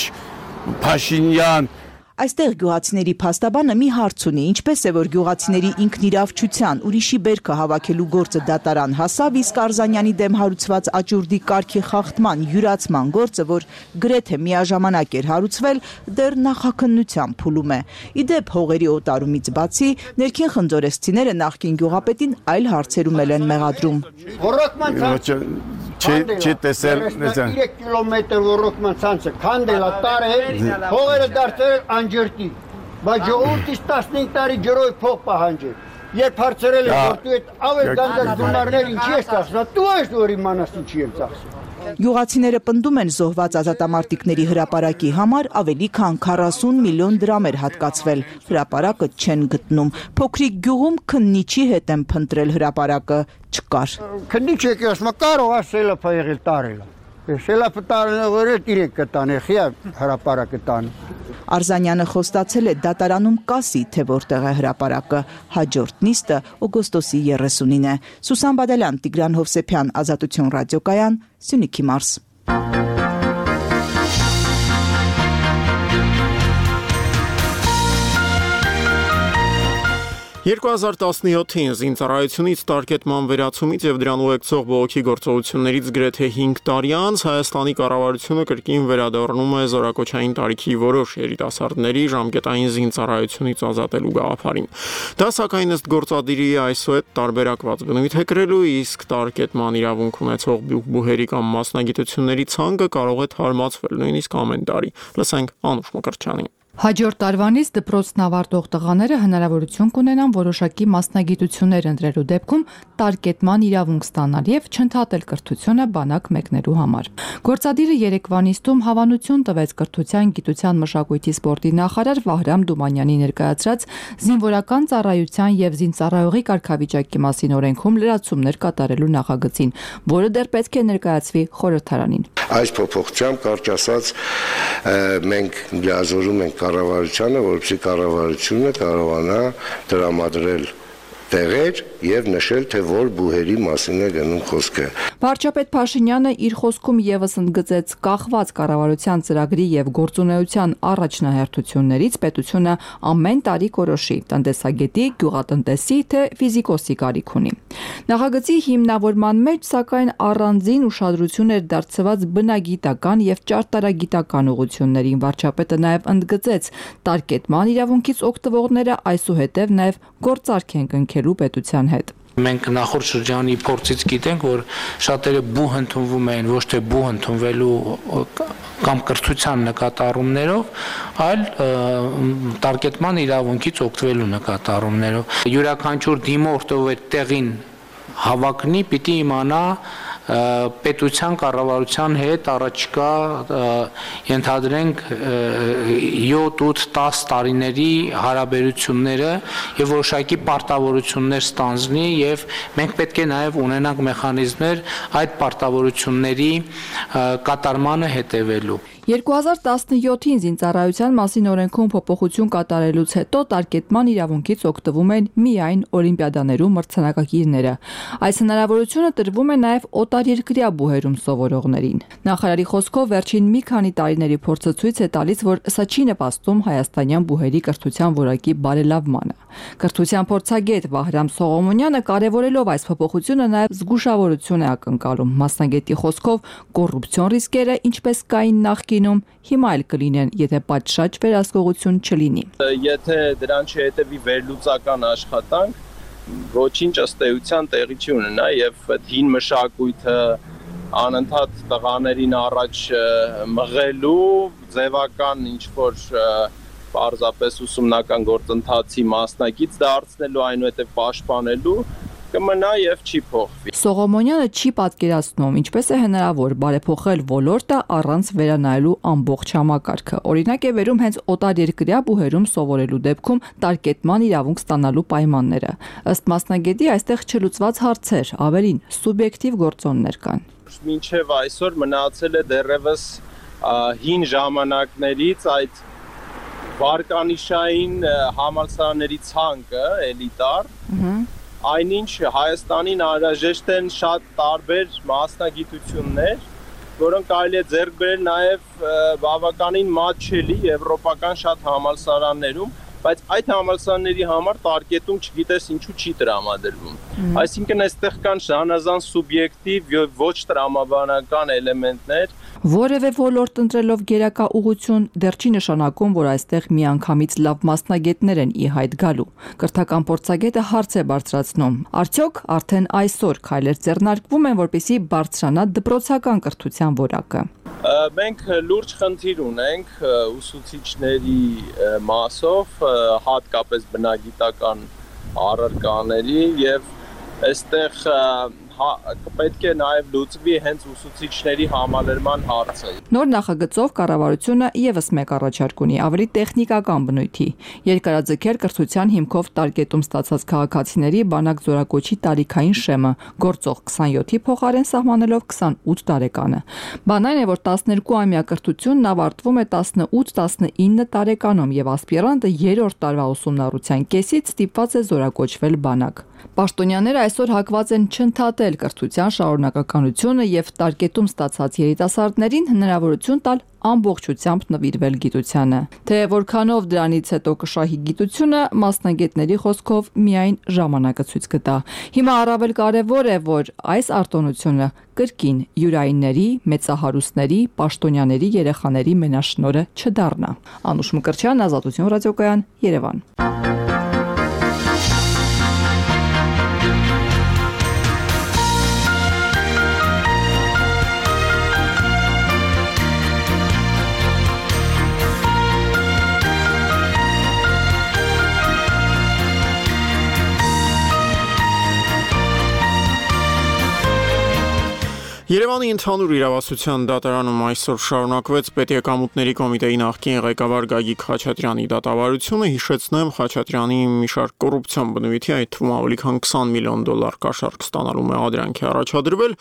Speaker 17: Փաշինյան։
Speaker 16: Այստեղ գյուղացիների փաստաբանը մի հարց ունի, ինչպես է որ գյուղացիների ինքնիրավչության, ուրիշի բերքը հավաքելու գործը դատարան հասավ, իսկ Արզանյանի դեմ հարուցված աճուրդի կարգի խախտման, յուրացման գործը, որ գրեթե միաժամանակ էր հարուցվել, դեռ նախաքննության փուլում է։ Իդեպ հողերի օտարումից բացի, ներքին խնձորեսցիները նախկին գյուղապետին այլ հարցերում են մեղադրում։
Speaker 17: Չի տեսել
Speaker 15: 3 կիլոմետր ռոռոկման ցանցը քանդել է տարել, հողերը դարձել անջրտի, բայց ժողովուրդից 15 տարի ջրով փող պահանջել։ Երբ հարցրել են, որ դու այդ ավել գանդակ գումարներ ինչի ես ծախսում, դու ես որ իմանաս ինչի եմ ծախսում։
Speaker 16: Գյուղացիները պնդում են զոհված ազատամարտիկների հրապարակի համար ավելի քան 40 միլիոն դրամ էր հատկացվել։ Հրապարակը չեն գտնում։ Փոքրիկ գյուղում քննիչի հետ են փնտրել հրապարակը, չկար։
Speaker 15: Քննիչ եկի ասում, կարող է սելափ եղել տարել։ Սելափը տարել որ իրենք կտան, խիա հրապարակը տան։
Speaker 16: Արզանյանը խոստացել է դատարանում կասի, թե որտեղ է հրապարակը։ Հաջորդ նիստը օգոստոսի 30-ին է։ Սուսան Բադալյան, Տիգրան Հովսեփյան, Ազատություն ռադիոկայան, Սյունիքի մարզ։
Speaker 1: 2017-ին զինծառայությունից տարկետման վերացումից եւ դրան ուղեկցող բողոքի գործողություններից գրեթե 5 տարի անց Հայաստանի կառավարությունը կրկին վերադառնում է զորակոչային տարիքի որոշ երիտասարդների ժամկետային զինծառայությունից ազատելու գաղափարին։ Դա սակայն ըստ գործադիրի այսուհետ տարբերակված բնույթ է կրելու, իսկ տարկետման իրավունք ունեցող բուհերի կամ մասնագիտությունների ցանկը կարող է թարմացվել նույնիսկ ամեն տարի։ Լսենք Անուշ Մկրտչյանին։
Speaker 2: Հաջորդ տարվանից դպրոցն ավարտող տղաները հնարավորություն կունենան որոշակի մասնագիտություններ ընտրելու դեպքում տարկետման իրավունք ստանալ եւ չընդհատել կրթությունը բանակ մեկնելու համար։ Գործադիրը երեկվա նիստում հավանություն տվեց կրթության, գիտության, մշակույթի, սպորտի նախարար Վահրամ Դումանյանի ներկայացրած զինվորական ծառայության եւ զինծառայողի կարգավիճակի մասին օրենքում լրացումներ կատարելու նախագծին, որը դեռ պետք է ներկայացվի խորհրդարանին։
Speaker 22: Այս փոփոխությամբ կարճ ասած մենք լիազորում ենք կառավարությանը, որպեսզի կառավարությունը կարողանա տրամադրել տեղեր եւ նշել, թե որ բուհերի մասին է գնում խոսքը։
Speaker 2: Վարչապետ Փաշինյանը իր խոսքում եւս ընդգծեց կախված կառավարության ծրագրի եւ գործունեության առաջնահերթություններից պետությունը ամեն տարի կորոշի տնտեսագետի, գյուղատնտեսի թե ֆիզիկոսի կարիք ունի։ Նախագծի հիմնավորման մեջ սակայն առանձին ուշադրություն էր դարձված բնագիտական եւ ճարտարագիտական ուղղություններին։ Վարչապետը նաեւ ընդգծեց տարկետման իրավունքից օգտվողները այսուհետև նաեւ գործարք են կնքելու պետության հետ։
Speaker 12: Մենք նախորդ շրջանի փորձից գիտենք, որ շատերը բուհ ընդունվում են ոչ թե բուհ ընդունվելու կամ կրթության նկատառումներով, այլ տարկետման իրավունքից օգտվելու նկատառումներով։ Յուրաքանչյուր դիմորդ, ով այդ տեղին հավակնի, պիտի իմանա պետության կառավարության հետ առաջիկա ենթադրենք 7-8-10 տարիների հարաբերությունները եւ որոշակի պարտավորություններ ստանձնի եւ մենք պետք է նաեւ ունենանք մեխանիզմներ այդ պարտավորությունների կատարմանը հետևելու։
Speaker 2: 2017-ին զինծառայության մասին օրենքում փոփոխություն կատարելուց հետո տարկետման իրավունքից օգտվում են միայն օլիմպիադաներում մրցանակակիրները։ Այս հնարավորությունը տրվում է նաև օտարերկրյա բուհերում սովորողներին։ Նախարարի խոսքով վերջին մի քանի տարիների փորձը ցույց է տալիս, որ սա չի նպաստում հայաստանյան բուհերի կրթության որակի բարելավմանը։ Կրթության փորձագետ Վահրամ Սողոմոնյանը կարևորելով այս փոփոխությունը նաև զգուշավորություն է ակնկալում։ Մասնագետի խոսքով կոռուպցիոն ռիսկերը, ինչպես կային նախկինում, հիմա էլ կլինեն, եթե պատշաճ վերահսկողություն չլինի։
Speaker 23: Եթե դրան չհետևի վերլուծական աշխատանք, ոչինչ ըստ էության տեղի չի ունենա եւ հին մշակույթը անընդհատ տղաներին առաջ մղելու ձևական ինչ որ պարզապես ուսումնական գործընթացի մասնակից դարձնելու, այնուհետև պաշտպանելու կմնա եւ չի փոխվի։
Speaker 2: Սողոմոնյանը չի պատկերացնում, ինչպես է հնարավոր բարեփոխել ոլորտը առանց վերանայելու ամբողջ համակարգը։ Օրինակ է վերում հենց օտարերկրյա բուհերում սովորելու դեպքում տարկետման իրավունք ստանալու պայմանները։ Ըստ մասնագետի այստեղ չլուծված հարցեր, ավելին սուբյեկտիվ գործոններ կան։
Speaker 23: Մինչև այսօր մնացել է դեռևս հին ժամանակներից այդ վարկանիշային համալսարանների ցանկը, էլիտար, այնինչ Հայաստանին անհրաժեշտ են շատ տարբեր մասնագիտություններ, որոնք կարելի է ձեռք բերել նաև բավականին մատչելի եվրոպական շատ համալսարաններում, բայց այդ համալսարանների համար տարկետում չգիտես ինչու չի տրամադրվում։ Այսինքն այստեղ կան զանազան սուբյեկտիվ եւ ոչ տրամաբանական էլեմենտներ,
Speaker 2: որևէ ոլորտ ընտրելով գերակա ուղղություն դեռ չի նշանակում, որ այստեղ միանգամից լավ մասնագետներ են ի հայտ գալու։ Կրթական փորձագետը հարց է բարձրացնում. արդյոք արդեն այսօր քայլեր ձեռնարկվում են, որպեսզի բարձրանա դպրոցական կրթության որակը։
Speaker 23: Մենք լուրջ խնդիր ունենք ուսուցիչների մասով, հատկապես բնագիտական առարկաների եւ այստեղ պետք է նաև լուծվի հենց ուսուցիչների համալրման հարցը։
Speaker 2: Նոր նախագծով կառավարությունը եւս մեկ առաջարկ ունի, ավելի տեխնիկական բնույթի։ Երկարաձգել կրթության հիմքով տարկետում ստացած քաղաքացիների բանակ զորակոչի տարիքային շեմը, գործող 27-ի փոխարեն սահմանելով 28 տարեկանը։ Բան այն է, որ 12-ամյա կրթությունն ավարտվում է 18-19 տարեկանում եւ ասպիրանտը 3-րդ տարվա ուսումնառության կեսից ստիպված է զորակոչվել բանակ։ Պաշտոնյաները այսօր հակված են չընդհատել կրթության շարունակականությունը եւ տարկետում ստացած երիտասարդներին հնարավորություն տալ ամբողջությամբ նվիրվել գիտությանը։ Թե որքանով դրանից հետո կշահի գիտությունը, մասնագետների խոսքով միայն ժամանակը ցույց կտա։ Հիմա առավել կարևոր է, որ այս արտոնությունը կրկին յուրայինների, մեծահարուստների, պաշտոնյաների երեխաների մենաշնորհը չդառնա։ Անուշ Մկրտչյան, Ազատություն ռադիոկայան, Երևան։
Speaker 1: Երևանի ընդհանուր իրավասության դատարանում այսօր շարունակվեց Պետեկամուտների կոմիտեի նախկին ղեկավար Գագիկ Խաչատրյանի դատավարությունը, հիշեցնեմ, Խաչատրյանի մի շարք կոռուպցիոն բնույթի, այդ թվում ավելի քան $20 միլիոն կաշառք ստանալու մեղադրանքի առաջադրվել։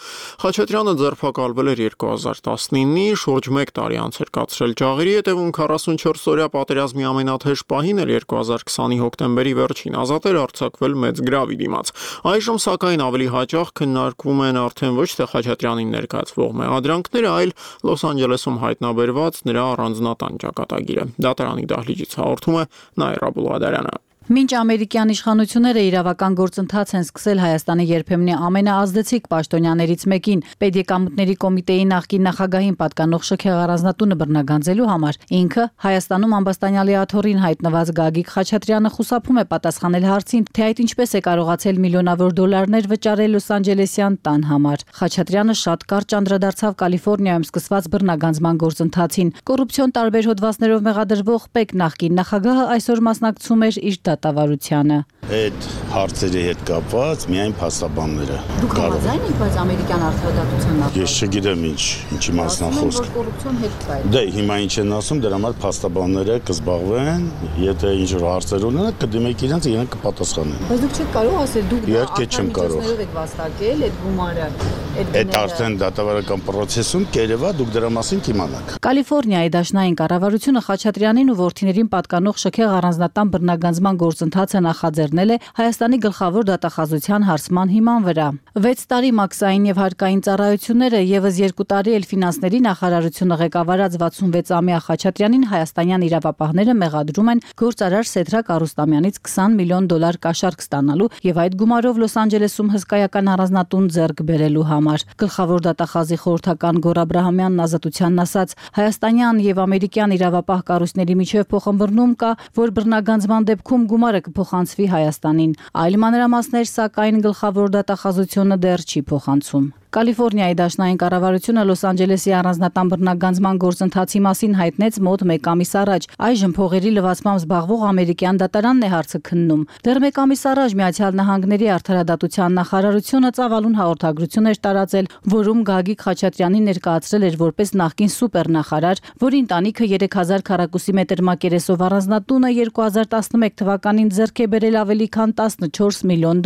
Speaker 1: Խաչատրյանը ձերբակալվել էր 2019-ի, շուրջ 1 տարի անց էր կացրել ջաղերի հետևում 44-օրյա պատերազմի ամենաթեժ պահին էլ 2020-ի հոկտեմբերի վերջին ազատ էր արձակվել մեծ գրավի դիմաց։ Այժմ սակայն ավելի հաճախ քննարկվում են արդեն ոչ թե Խաչատրյանին ներկայացվող մեղադրանքները, այլ Լոս Անջելեսում հայտնաբերված նրա առանձնատան ճակատագիրը։ Դատարանի դահլիճից հաղորդում է Նաիրա Բուլղադարյանը։
Speaker 4: Մինչ ամերիկյան իշխանությունները իրավական գործընթաց են սկսել Հայաստանի երբեմնի ամենաազդեցիկ պաշտոնյաներից մեկին, Պետեկամուտների կոմիտեի նախկին նախագահին պատկանող շքեղ առանձնատունը բռնագանձելու համար, ինքը Հայաստանում ամբաստանյալի աթոռին հայտնված Գագիկ Խաչատրյանը խուսափում է պատասխանել հարցին, թե այդ ինչպես է կարողացել միլիոնավոր դոլարներ վճարել Լոս Անջելեսյան տան համար։ Խաչատրյանը շատ կարճ անդրադարձավ Կալիֆոռնիայում սկսված բռնագանձման գործընթացին։ Կոռուպցիոն տարբեր հոդվածներով մեղադրվող Պեկ նախկին նախագահը այսօր մասնակցում էր իր դատավարությանը։
Speaker 5: Այդ հարցերի հետ կապված միայն փաստաբանները։
Speaker 4: Դուք համաձայն եք, բայց ամերիկյան արդարադատության նախագահ։
Speaker 5: Ես չգիտեմ ինչի մասն է խոսքը։
Speaker 4: Կոռուպցիոն հետ կա։
Speaker 5: Դե հիմա ինչ են ասում, դրա համար փաստաբանները կզբաղվեն, եթե ինչ որ հարցեր ունենան, կդիմեք իրենց, իրենք կպատասխանեն։
Speaker 4: Բայց դուք չեք կարող ասել, դուք
Speaker 5: իհարկե չեմ կարող։
Speaker 4: եք վաստակել այդ գումարը,
Speaker 5: այդ արդեն դատավարական process-ում կերևա դուք դրա մասին կիմանաք։
Speaker 4: Կալիֆոռնիայի դաշնային կառավարությունը Խաչատրյանին ու որդիներին պատկանող շքեղ առանձնատան բռնագանձման գործընթացը նախաձեռնել է Հայաստանի գլխավոր դատախազության հարցման հիման վրա։ 6 տարի մաքսային եւ հարկային ծառայությունները եւս 2 տարի էլ ֆինանսների նախարարությունը ղեկավարած 66-ամյա Խաչատրյանին հայաստանյան իրավապահները մեղադրում են գործարար Սեդրակ Արուստամյանից $20 միլիոն կաշառք ստանալու եւ այդ գումարով Լոս Անջելեսում հսկայական առանձնատուն ձեռք բերելու համար։ Գլխավոր դատախազի խորհրդական Գոր Աբրահամյանն ազատությանն ասաց, հայաստանյան եւ ամերիկյան իրավապահ կառույցների միջև փոխհմբռնում կա, որ բռնագանձման դեպքում գումարը կփոխանցվի Հայաստանին։ Այլ մանրամասներ սակայն գլխավոր դատախազությունը դեռ չի փոխանցում։ Կալիֆոռնիայի դաշնային կառավարությունը Լոս Անջելեսի առանձնատան բռնագանձման գործընթացի մասին հայտնեց մոտ 1 ամիս առաջ։ Այժմ փողերի լվացմամբ զբաղվող ամերիկյան դատարանն է հարցը քննում։ Դեռ 1 ամիս առաջ Միացյալ Նահանգների արդարադատության նախարարությունը ծավալուն հաղորդագրություն էր տարածել, որում Գագիկ Խաչատրյանին ներկայացրել էր որպես նախկին սուպերնախարար, որի ընտանիքը 3000 քառակուսի մետր մակերեսով առանձնատունը 2011 թվականին ձեռք է բերել ավելի քան $14 միլիոն,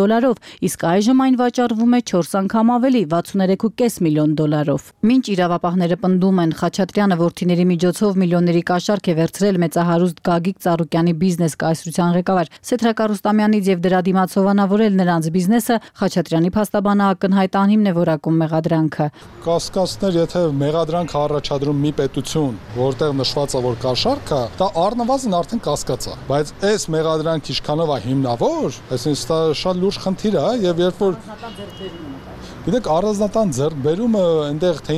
Speaker 4: իսկ այժմ այն վաճառվում է 4 անգամ ավելի 63.5 միլիոն դոլարով։ Մինչ իրավապահները պնդում են, Խաչատրյանը որդիների միջոցով միլիոնների կաշառք է վերցրել մեծահարուստ Գագիկ Ծառուկյանի բիզնես կայսրության ղեկավար Սեդրակ Արուստամյանից եւ դրա դիմաց հովանավորել նրանց բիզնեսը, Խաչատրյանի փաստաբանը ակնհայտ անհիմն է որակում մեղադրանքը։
Speaker 6: Կասկածներ, եթե մեղադրանք առաջադրում մի պետություն, որտեղ նշված է, որ կաշառք կա, դա առնվազն արդեն կասկած է, բայց այս մեղադրանքը ինչքանով է հիմնավոր, այսինքն դա շատ լուրջ խնդիր է եւ երբ որ Գիտեք, առանձնատան ձեռքբերումը այնտեղ թե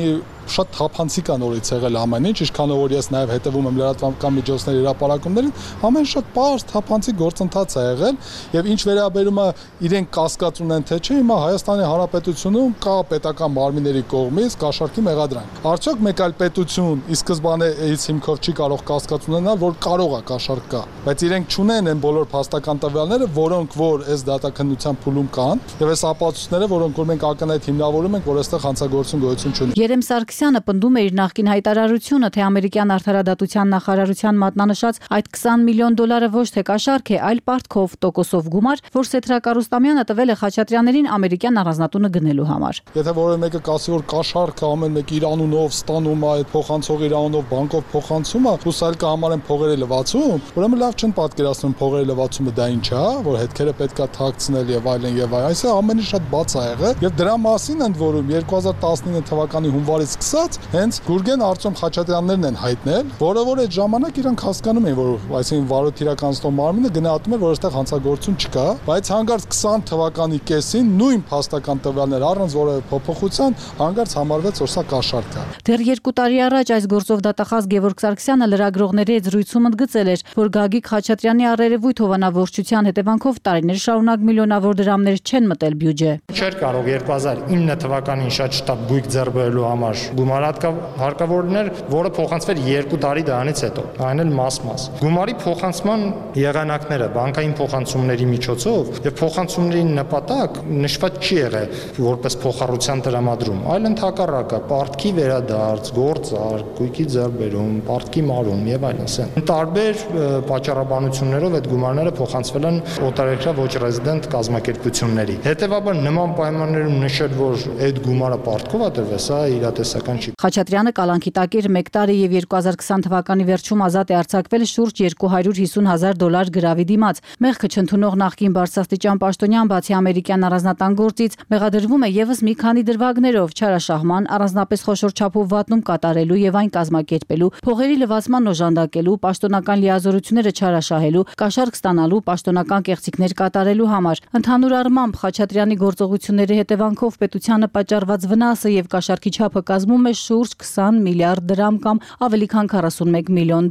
Speaker 6: շատ թափանցիկ է նորից եղել ամեն ինչ, ինչքանով որ ես նաև հետևում եմ լրատվական միջոցների հրապարակումներին, ամեն շատ պարզ թափանցիկ գործընթաց է եղել եւ ինչ վերաբերում է իրենք կասկած ունեն թե չէ, հիմա Հայաստանի Հանրապետությունում կա պետական մարմինների կողմից կաշառքի մեղադրանք։ Արդյոք մեկ այլ պետություն ի սկզբանե այս հիմքով չի կարող կասկած ունենալ, որ կարող է կաշառք կա, բայց իրենք չունեն այն բոլոր փաստական տվյալները, որոնք որ այս դատաքննության փուլում կան, եւ այս ապացույցները, որոնք որ մենք ակնհայտ հիմնավորում ենք, որ այստեղ հանցագործություն գոյություն չունի։
Speaker 4: Երեմ Սարգսյանը պնդում է իր նախկին հայտարարությունը, թե ամերիկյան արդարադատության նախարարության մատնանշած այդ $20 միլիոն ոչ թե կաշառք է, այլ պարտքով տոկոսով գումար, որ Սեդրակ Արուստամյանը տվել է Խաչատրյաններին ամերիկյան առանձնատունը գնելու համար։
Speaker 6: Եթե որևէ մեկը կասի, որ կաշառքը ամեն մեկ իր անունով ստանում է, այդ փոխանցող իր անունով բանկով փոխանցում է, ու այլ կհամարեն փողերը լվացում, ուրեմն լավ չեն պատկերացնում փողերը լվացումը դա ինչ է, որ հետքերը պետքա թաքցնել եւ այլն եւ այլն։ Այսինքն ամեն ինչ շատ բաց է եղել եւ դրա մասին ընդ որում 2019 թվականի հունվարից սկսած հենց Գուրգեն Արտյոմ Խաչատրյաններն են հայտնել, որը որ այդ ժամանակ իրանք հասկանում էին, որ այսինքն վարույթ իրականացնող մարմինը գնահատում էր, որ այստեղ հանցագործություն չկա, բայց հանկարծ 20 թվականի կեսին նույն փաստական տվյալներ առանց որևէ փոփոխության հանկարծ համարվեց, որ սա կաշառք է։
Speaker 4: Դեռ 2 տարի առաջ այս գործով դատախազ Գևորգ Սարգսյանը լրագրողների հետ զրույցում ընդգծել էր, որ Գագիկ Խաչատրյանի առերևույթ հովանավորչության հետևանքով տարիներ շարունակ միլիոնավոր դրամներ չեն մտել բյուջե։
Speaker 24: Չէր կարող 2009 թվականին շատ շտապ գույք ձեռք բերելու համար
Speaker 7: գումարահարկավորներ, որը փոխանցվեր 2 տարի դրանից հետո, այն էլ մաս-մաս։ Գումարի փոխանցման եղանակները բանկային փոխանցումների միջոցով եւ փոխանցումների նպատակ նշված չի եղել որպես փոխառության տրամադրում, այլ ընդհակառակը պարտքի վերադարձ, գործարք, գույքի ձեռբերում, պարտքի մարում եւ այլն։ Տարբեր պատճառաբանություններով այդ գումարները փոխանցվել են օտարերկրյա ոչ ռեզիդենտ կազմակերպությունների։ Հետևաբար նման պայմաններում նշել, որ այդ գումարը պարտքով է տրվել, սա իրատեսական չի։
Speaker 4: Խաչատրյանը կալանքի տակ էր 1 տարի եւ 2020 թվականի վերջում ազատ է արձակվել շուրջ $250,000 գրավի դիմաց։ Մեղքը չընդունող նախկին բարձրաստիճան պաշտոնյան բացի ամերիկյան առանձնատան գործից մեղադրվում է եւս մի քանի դրվագներով՝ չարաշահման, առանձնապես խոշոր չափով վատնում կատարելու եւ այն կազմակերպելու, փողերի լվացման օժանդակելու, պաշտոնական լիազորությունները չարաշահելու, կաշառք ստանալու, պաշտոնական կեղծիքներ կատարելու համար։ Ընդհանուր առմամբ Խաչատրյանի գործողությունների հետևանքով պետությանը պատճառված վնասը եւ կաշառքի չափը կազմում է շուրջ 20 միլիարդ դրամ կամ ավելի քան $41 միլիոն։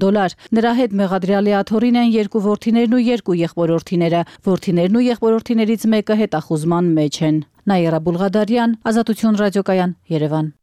Speaker 4: Նրա հետ մեղադրյալի աթոռին են 2 որդիներն ու 2 եղբորորդիները։ Որդիներն ու եղբորորդիներից մեկը հետախուզման մեջ են։ Նաիրա Բուլղադարյան, Ազատություն ռադիոկայան, Երևան։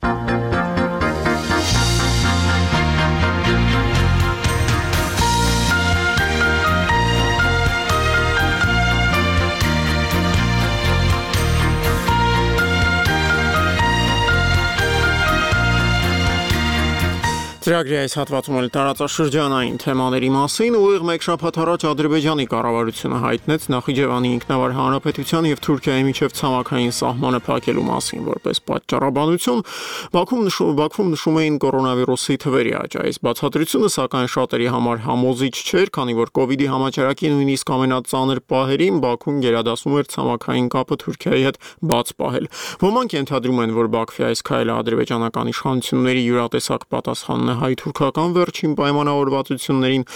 Speaker 1: Ծրագրի այս հատվածում էլ տարածաշրջանային թեմաների մասին ուղիղ մեկ շաբաթ առաջ Ադրբեջանի կառավարությունը հայտնեց Նախիջևանի ինքնավար հանրապետության եւ Թուրքիայի միջև ցամաքային սահմանը փակելու մասին որպես պատճառաբանություն։ Բաքվում նշում էին կորոնավիրուսի թվերի աճ։ Այս բացատրությունը սակայն շատերի համար համոզիչ չէր, քանի որ կոവിഡ്ի համաճարակի նույնիսկ ամենածանր պահերին Բաքուն գերադասում էր ցամաքային կապը Թուրքիայի հետ բաց պահել։ Ոմանք ենթադրում են, որ Բաքվի այս քայլը ադրբեջանական իշխանությունների յուրատեսակ պատասխանն հայ-թուրքական վերջին պայմանավորվածություններին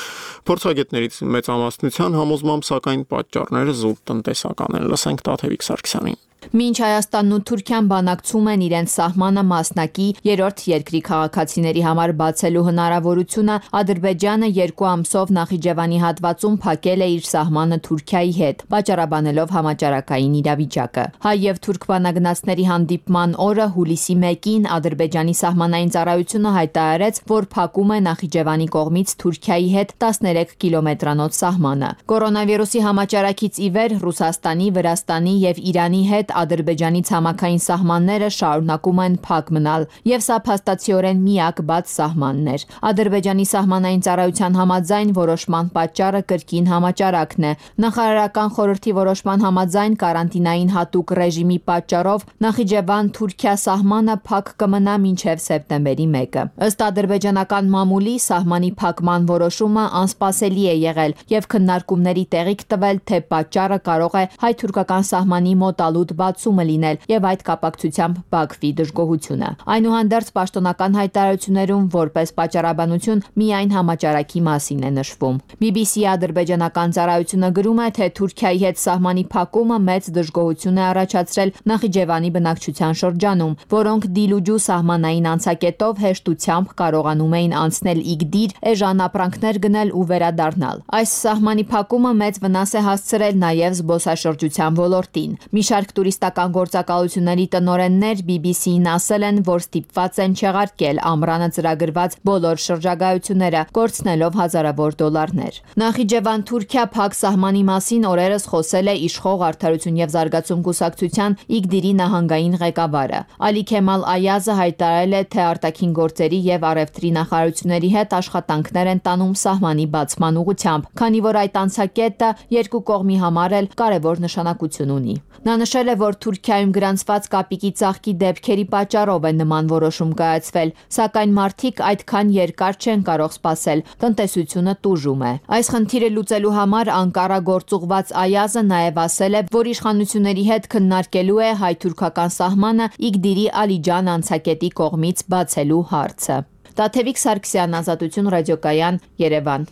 Speaker 1: փորձագետներից մեծամասնության համոզմամբ սակայն պատճառները զուտ տնտեսական են։ Լսենք Տաթևիկ Սարգսյանին։
Speaker 14: Մինչ Հայաստանն ու Թուրքիան բանակցում են իրենց սահմանը մասնակի երրորդ երկրի քաղաքացիների համար բացելու հնարավորությունը, Ադրբեջանը 2 ամսով Նախիջևանի հատվածում փակել է իր սահմանը Թուրքիայի հետ, պատճառաբանելով համաճարակային իրավիճակը։ Հայ եւ թուրք բանագնացների հանդիպման օրը հուլիսի 1-ին Ադրբեջանի սահմանային ծառայությունը հայտարարեց, որ փակում է Նախիջևանի կողմից Թուրքիայի հետ 13 կիլոմետրանոց սահմանը։ Կորոնավիրուսի համաճարակից ի վեր Ռուսաստանի, Վրաստանի եւ Իրանի հետ Ադրբեջանի ցամաքային սահմանները շարունակում են փակ մնալ, եւ սա փաստացիորեն միակ բաց սահմանն էր։ Ադրբեջանի սահմանային ծառայության համաձայն որոշման պատճառը կրկին համաճարակն է։ Նախարարական խորհրդի որոշման համաձայն կարանտինային հատուկ ռեժիմի պատճառով Նախիջևան-Թուրքիա սահմանը փակ կմնա մինչև սեպտեմբերի 1-ը։ Ըստ ադրբեջանական մամուլի սահմանի փակման որոշումը անսպասելի է եղել եւ քննարկումների տեղիք տվել, թե պատճառը կարող է հայ-թուրքական սահմանի մոտալուտ բացումը լինել եւ այդ կապակցությամբ Բաքվի դժգոհությունը։ Այնուհանդերձ պաշտոնական հայտարարություններում որպես պատճառաբանություն միայն համաճարակի մասին է նշվում։ BBC ադրբեջանական ծառայությունը գրում է, թե Թուրքիայի հետ սահմանի փակումը մեծ դժգոհություն է առաջացրել Նախիջևանի բնակչության շրջանում, որոնք դիլուջու սահմանային անցակետով հեշտությամբ կարողանում էին անցնել Իգդիր, էժան ապրանքներ գնել ու վերադառնալ։ Այս սահմանի փակումը մեծ վնաս է հասցրել նաեւ զբոսաշրջության ոլորտին։ Մի շարք տուրիստական գործակալությունների տնօրեններ BBC-ին ասել են, որ ստիպված են չեղարկել ամռանը ծրագրված բոլոր շրջագայությունները, կորցնելով հազարավոր դոլարներ։ Նախիջևան-Թուրքիա փակ սահմանի մասին օրերս խոսել է իշխող Արդարություն եւ զարգացում կուսակցության Իգդիրի նահանգային ղեկավարը։ Ալի Քեմալ Այազը հայտարարել է, թե արտաքին գործերի եւ առևտրի նախարարությունների հետ աշխատանքներ են տանում սահմանի բացման ուղղությամբ, քանի որ այդ անցակետը երկու կողմի համար էլ կարևոր նշանակություն ունի։ Նա նշել է, որ Թուրքիայում գրանցված կապիկի ծաղկի դեպքերի պատճառով է նման որոշում կայացվել, սակայն մարդիկ այդքան երկար չեն կարող սպասել, տնտեսությունը տուժում է։ Այս խնդիրը լուծելու համար Անկարա գործուղված Այազը նաև ասել է, որ իշխանությունների հետ քննարկելու է հայ-թուրքական սահմանը Իգդիրի Ալիջան անցակետի կողմից բացելու հարցը։ Տաթևիկ Սարգսյան, Ազատություն ռադիոկայան, Երևան։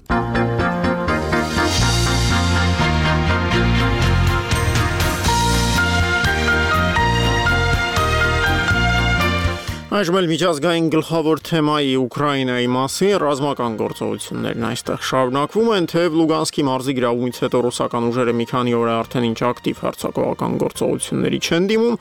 Speaker 1: Այժմ էլ միջազգային գլխավոր թեմայի Ուկրաինայի մասին ռազմական գործողություններն այստեղ շարունակվում են, թեև Լուգանսկի մարզի գրավումից հետո ռուսական ուժերը մի քանի օր է արդեն ինչ ակտիվ հարձակողական գործողությունների չեն դիմում,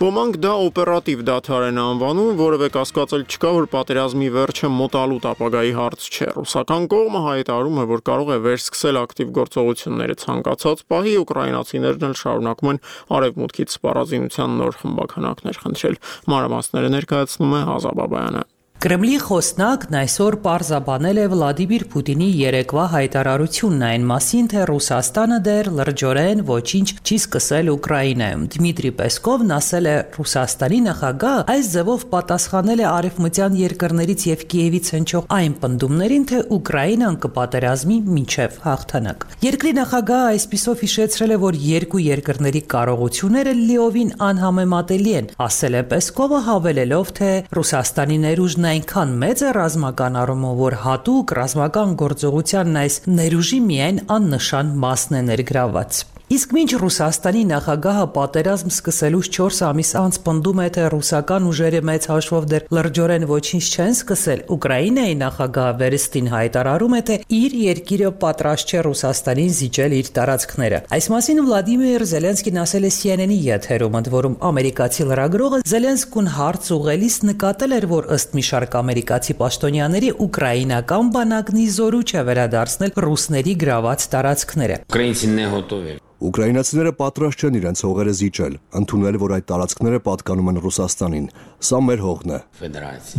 Speaker 1: ոմանք դա օպերատիվ դադար են անվանում, որևէ կասկածել չկա, որ պատերազմի վերջը մոտալուտ ապագայի հարց չէ։ Ռուսական կողմը հայտարարում է, որ կարող է վերսկսել ակտիվ գործողությունները ցանկացած պահի, ուկրաինացիներն էլ շարունակում են արևմուտքից սպառազինության նոր խմբականակներ խնդրել։ Մանրամասները ներկայացնում է Հազա Բաբայանը։
Speaker 8: Կրեմլի խոսնակն այսօր պարզաբանել է Վլադիմիր Պուտինի երեկվա հայտարարությունն այն մասին, թե Ռուսաստանը դեռ լրջորեն ոչինչ չի սկսել Ուկրաինայում։ Դմիտրի Պեսկովն ասել է, Ռուսաստանի նախագահը այս ձևով պատասխանել է արևմտյան երկրներից եւ Կիևից հնչող այն պնդումներին, թե Ուկրաինան կպատերազմի մինչեւ հաղթանակ։ Երկրի նախագահը այսպիսով հիշեցրել է, որ երկու երկրների կարողությունները լիովին անհամեմատելի են, ասել է Պեսկովը, հավելելով, թե Ռուսաստանի ներուժն այնքան մեծ է ռազմական առումով, որ հատուկ ռազմական գործողությանն այս ներուժի միայն աննշան մասն է ներգրավված։ Իսկ մինչ Ռուսաստանի նախագահը պատերազմ սկսելուց 4 ամիս անց պնդում է, թե ռուսական ուժերը մեծ հաշվով դեռ լրջորեն ոչինչ չեն սկսել, Ուկրաինայի նախագահը վերստին հայտարարում է, թե իր երկիրը պատրաստ չէ Ռուսաստանին զիջել իր տարածքները։ Այս մասին Վլադիմիր Զելենսկին ասել է CNN-ի եթերում, ընդ որում ամերիկացի լրագրողը Զելենսկուն հարց ուղղելիս նկատել էր, որ ըստ մի շարք ամերիկացի պաշտոնյաների ուկրաինական բանակն ի զորու չէ վերադարձնել ռուսների գրաված տարածքները։
Speaker 9: Ուկրաինացիները պատրաստ չեն իրենց հողերը զիջել, ընդունել, որ այդ տարածքները պատկանում են Ռուսաստանին։ Սա մեր հողն է։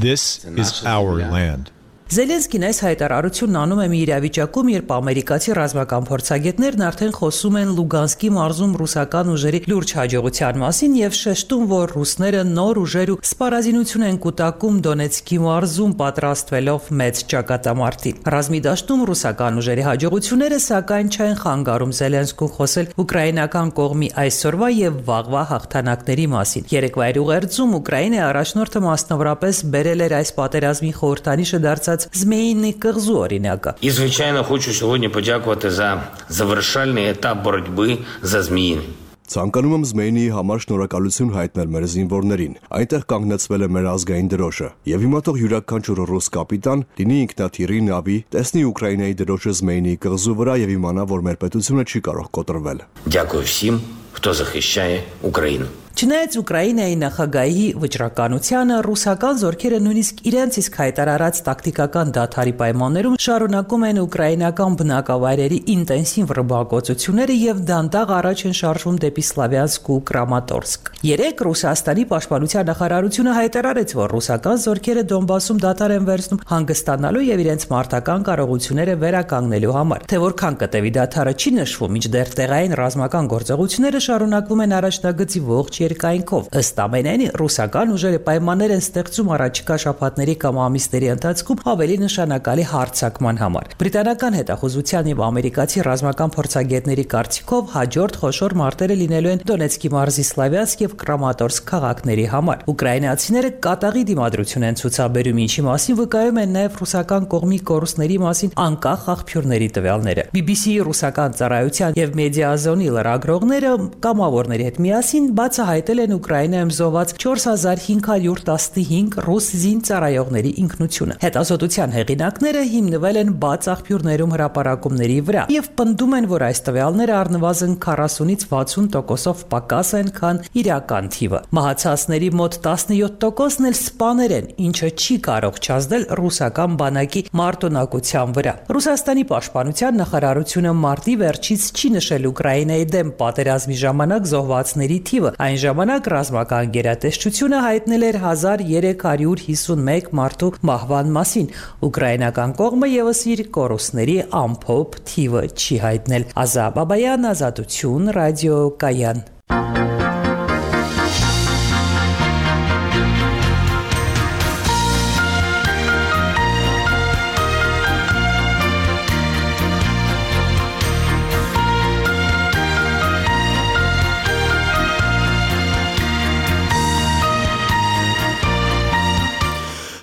Speaker 10: This is our land.
Speaker 8: Զելենսկին այս հայտարարությունն անում է մի իրավիճակում, երբ ամերիկացի ռազմական փորձագետներն արդեն խոսում են Լուգանսկի մարզում ռուսական ուժերի լուրջ հաջողության մասին եւ շեշտում, որ ռուսները նոր ուժեր ու սպառազինություն են կուտակում Դոնեցկի մարզում պատրաստվելով մեծ ճակատամարտի։ Ռազմի դաշտում ռուսական ուժերի հաջողությունները սակայն չեն խանգարում Զելենսկուն խոսել ուկրաինական կողմի այսօրվա եւ վաղվա հաղթանակների մասին։ Երեկվա ուղերձում Ուկրաինայի առաջնորդը մասնավորապես բերել էր այս պատերազմի խորհրդանիշը դարձած Змеїний кирзу оріняка.
Speaker 24: І, звичайно, хочу сьогодні подякувати за завершальний етап боротьби за Зміїний.
Speaker 9: Ցանկանում եմ Զմեյնիի համար շնորհակալություն հայտնել մեր զինվորներին։ Այնտեղ կանգնեցվել է մեր ազգային դրոշը։ Եվ հիմա թող յուրաքանչյուր ռուս կապիտան լինի ինքնաթիռի նավի, տեսնի Ուկրաինայի դրոշը Զմեյնիի կղզու վրա եւ իմանա, որ մեր պետությունը չի կարող կոտրվել։
Speaker 24: Дякую всім, хто захищає Україну.
Speaker 8: Չնայած Ուկրաինայի նախագահի վճռականությանը, ռուսական զորքերը նույնիսկ իրենց իսկ հայտարարած տակտիկական դադարի պայմաններում շարունակում են ուկրաինական բնակավայրերի ինտենսիվ ռմբակոծությունները եւ դանդաղ առաջ են շարժվում դեպի Սլավյանսկ ու Կրամատորսկ։ Երեկ Ռուսաստանի պաշտպանության նախարարությունը հայտարարեց, որ ռուսական զորքերը Դոնբասում դադար են վերցնում հանգստանալու եւ իրենց մարտական կարողությունները վերականգնելու համար։ Թե որքան կտևի դադարը չի նշվում, մինչդեռ տեղային ռազմական գործողությունները շարունակվում են առաջնագծի ողջ երկայնքով։ Ըստ ամենայնի, ռուսական ուժերը պայմաններ են ստեղծում առաջիկա շաբաթների կամ ամիսների ընթացքում ավելի նշանակալի հարձակման համար։ Բրիտանական հետախուզության եւ ամերիկացի ռազմական փորձագետների կարծիքով հաջորդ խոշոր մարտերը լինելու են Դոնեցկի մարզի Սլավյանսկ եւ Կրամատորսկ քաղաքների համար։ Ուկրաինացիները կատաղի դիմադրություն են ցուցաբերում, ինչի մասին վկայում են նաեւ ռուսական կողմի կորուստների մասին անկախ աղբյուրների տվյալները։ BBC-ի ռուսական ծառայության եւ մեդիազոնի լրագրողները կամավորների հետ միասին բացահայտել են Ուկրաինայում զոհված 4515 ռուս զինծառայողների ինքնությունը։ Հետազոտության հեղինակները հիմնվել են բաց աղբյուրներում հրապարակումների վրա եւ պնդում են, որ այս տվյալները առնվազն 40-ից 60%-ով պակաս են, քան իրական թիվը։ Մահացածների մոտ 17%-ն էլ սպաներ են, ինչը չի կարող չազդել ռուսական բանակի մարտունակության վրա։ Ռուսաստանի պաշտպանության նախարարությունը մարտի վերջից չի նշել Ուկրաինայի դեմ պատերազմի ժամանակ զոհվածների թիվը։ Այն ժամանակ ռազմական գերատեսչությունը հայտնել էր 1351 մարդու մահվան մասին։ Ուկրաինական կողմը եւս իր կորուստների ամփոփ թիվը չի հայտնել։ Ազա Բաբայան, Ազատություն, ռադիո Կայան։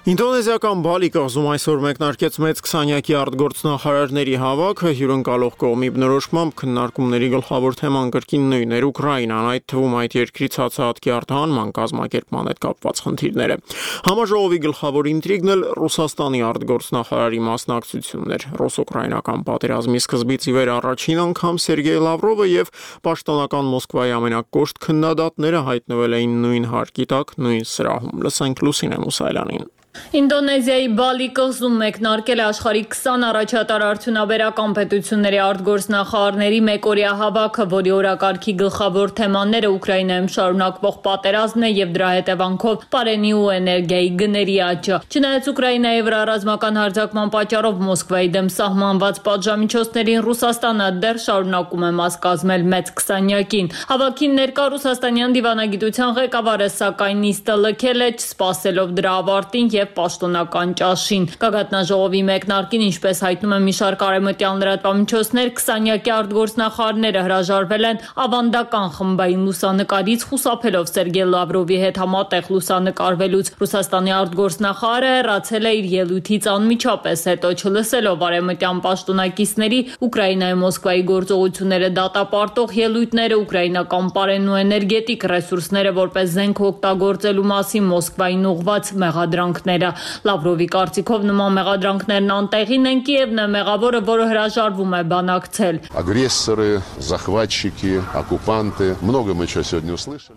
Speaker 1: Ինդոնեզիական Բալի կղզում այսօր մեկնարկեց մեծ 20-յակի արտգործնախարարների հավաքը, հյուրընկալող կողմի բնորոշմամբ քննարկումների գլխավոր թեման կրկին նույնն էր Ուկրաինան, այդ թվում այդ երկրի ցածահատքի արտահանման կազմակերպման հետ կապված խնդիրները։ Համաժողովի գլխավոր ինտրիգն էլ Ռուսաստանի արտգործնախարարի մասնակցությունն էր։ Ռուս-ուկրաինական պատերազմի սկզբից ի վեր առաջին անգամ Սերգեյ Լավրովը եւ պաշտոնական Մոսկվայի ամենակոշտ քննադատները հայտնվել էին նույն հարկի տակ, նույն սրահում։ Լսենք Լուսինե Մուսայելյանին։
Speaker 3: Ինդոնեզիայի Բալի կղզում մեկնարկել է աշխարհի 20 առաջատար արդյունաբերական պետությունների արտգործնախարարների մեկօրյա հավաքը, որի օրակարգի գլխավոր թեմաները Ուկրաինայում շարունակվող պատերազմն է եւ դրա հետևանքով պարենի ու էներգիայի գների աճը։ Չնայած Ուկրաինայի վրա ռազմական հարձակման պատճառով Մոսկվայի դեմ սահմանված պատժամիջոցներին Ռուսաստանը դեռ շարունակում է մաս կազմել մեծ 20-յակին։ Հավաքին ներկա ռուսաստանյան դիվանագիտության ղեկավարը սակայն նիստը լքել է, չսպասելով դրա ավարտին եւ պաշտոնական ճաշին։ Գագաթնաժողովի մեկնարկին, ինչպես հայտնում է մի շարք արևմտյան լրատվամիջոցներ, 20-յակի արտգործնախարարները հրաժարվել են ավանդական խմբային լուսանկարից, խուսափելով Սերգեյ Լավրովի հետ համատեղ լուսանկարվելուց։ Ռուսաստանի արտգործնախարարը հեռացել է իր ելույթից անմիջապես հետո, չլսելով արևմտյան պաշտոնակիցների Ուկրաինայի Մոսկվայի գործողությունները դատապարտող ելույթները, ուկրաինական պարենն ու էներգետիկ ռեսուրսները որպես զենք օգտագործելու մասին Մոսկվային ուղղված մեղադրանքներ։ Լավրովի կարծիքով նման մեղադրանքներն անտեղին են, Կիևն է մեղավորը, որը հրաժարվում է բանակցել։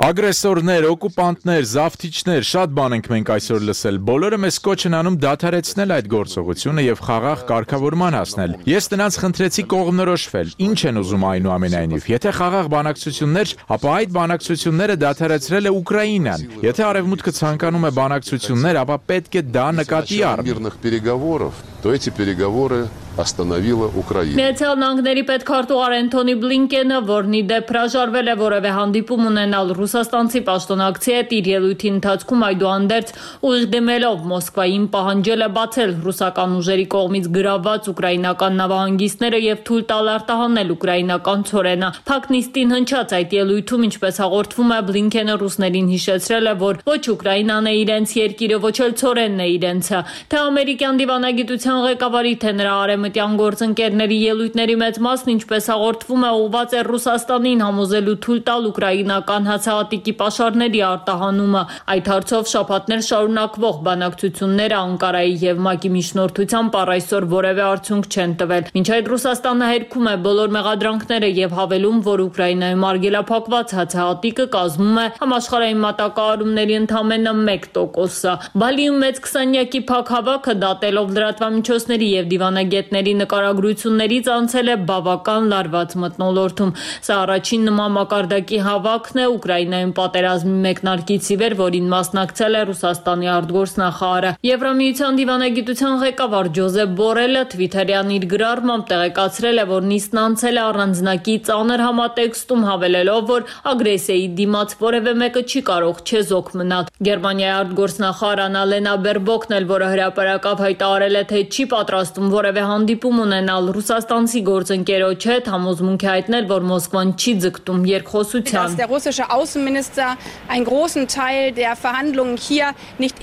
Speaker 11: Ագրեսորներ, օկուպանտներ, զավթիչներ, շատ բան ենք մենք այսօր լսել։ Բոլորը մեզ կոչ են անում դադարեցնել այդ գործողությունը եւ խաղաղ կարգավորման հասնել։ Ես նրանց խնդրեցի կողմնորոշվել։ Ինչ են ուզում այնուամենայնիվ։ Եթե խաղաղ բանակցություններ, ապա այդ բանակցությունները դադարեցրել է Ուկրաինան։ Եթե արևմուտքը ցանկանում է բանակցություններ, ապա պետք է դա նկատի առնի։
Speaker 13: То эти переговоры остановила Украина.
Speaker 3: Միացյալ Նահանգների պետքարտուղար Անթոնի Բլինկենը, որն ի դեպ հրաժարվել է որևէ հանդիպում ունենալ ռուսաստանցի պաշտոնակցի հետ, իր ելույթի ընթացքում այդուհանդերձ ուղիղ դիմելով Մոսկվային պահանջել է բացել ռուսական ուժերի կողմից գրաված ուկրաինական նավահանգիստները եւ թույլ տալ արտահանել ուկրաինական ցորենը։ Փակնիստին հնչած այդ ելույթում, ինչպես հաղորդվում է, Բլինկենը ռուսներին հիշեցրել է, որ ոչ Ուկրաինան է իրենց երկիրը, ոչ էլ ցորենն է իրենցը։ Թե ամերիկյան դիվանագիտության ղեկավարի, թե նրա արևմտյան գործընկերների ելույթների մեծ մասն, ինչպես հաղորդվում է, ուղղված է Ռուսաստանին համոզելու թույլ տալ ուկրաինական հացահատիկի պաշարների արտահանումը։ Այդ հարցով շաբաթներ շարունակվող բանակցությունները Անկարայի եւ ՄԱԿ-ի միջնորդությամբ առ այսօր որևէ արդյունք չեն տվել։ Մինչ այդ Ռուսաստանը հերքում է բոլոր մեղադրանքները եւ հավելում, որ Ուկրաինայում արգելափակված հացահատիկը կազմում է համաշխարհային մատակարարումների ընդամենը 1%-ը։ Բալիում մեծ 20-յակի փակ հավաքը դատելով լրատվամիջոցների եւ դիվանագետների նկարագրություններից անցել է բավական լարված մթնոլորտում։ Սա առաջին նման մակարդակի հավաքն է Ուկրաինայում պատերազմի մեկնարկից ի վեր, որին մասնակցել է Ռուսաստանի արտգործնախարարը։ Եվրամիության դիվանագիտության ղեկավար Ջոզեփ Բորելը Թվիթերյան իր գրառմամբ տեղեկացրել է, որ նիստն անցել է առանձնակի ծանր համատեքստում, հավելելով, որ ագրեսիայի դիմաց որևէ մեկը չի կարող չեզոք մնալ։ Գերմանիայի արտգործնախարար Անալենա Բերբոկն էլ, որը հրապարակավ հայտարարել է, թե չի պատրաստում որևէ հանդիպում ունենալ ռուսաստանցի գործընկերոջ հետ, համոզմունք է հայտնել, որ Մոսկվան չի ձգտում երկխոսության։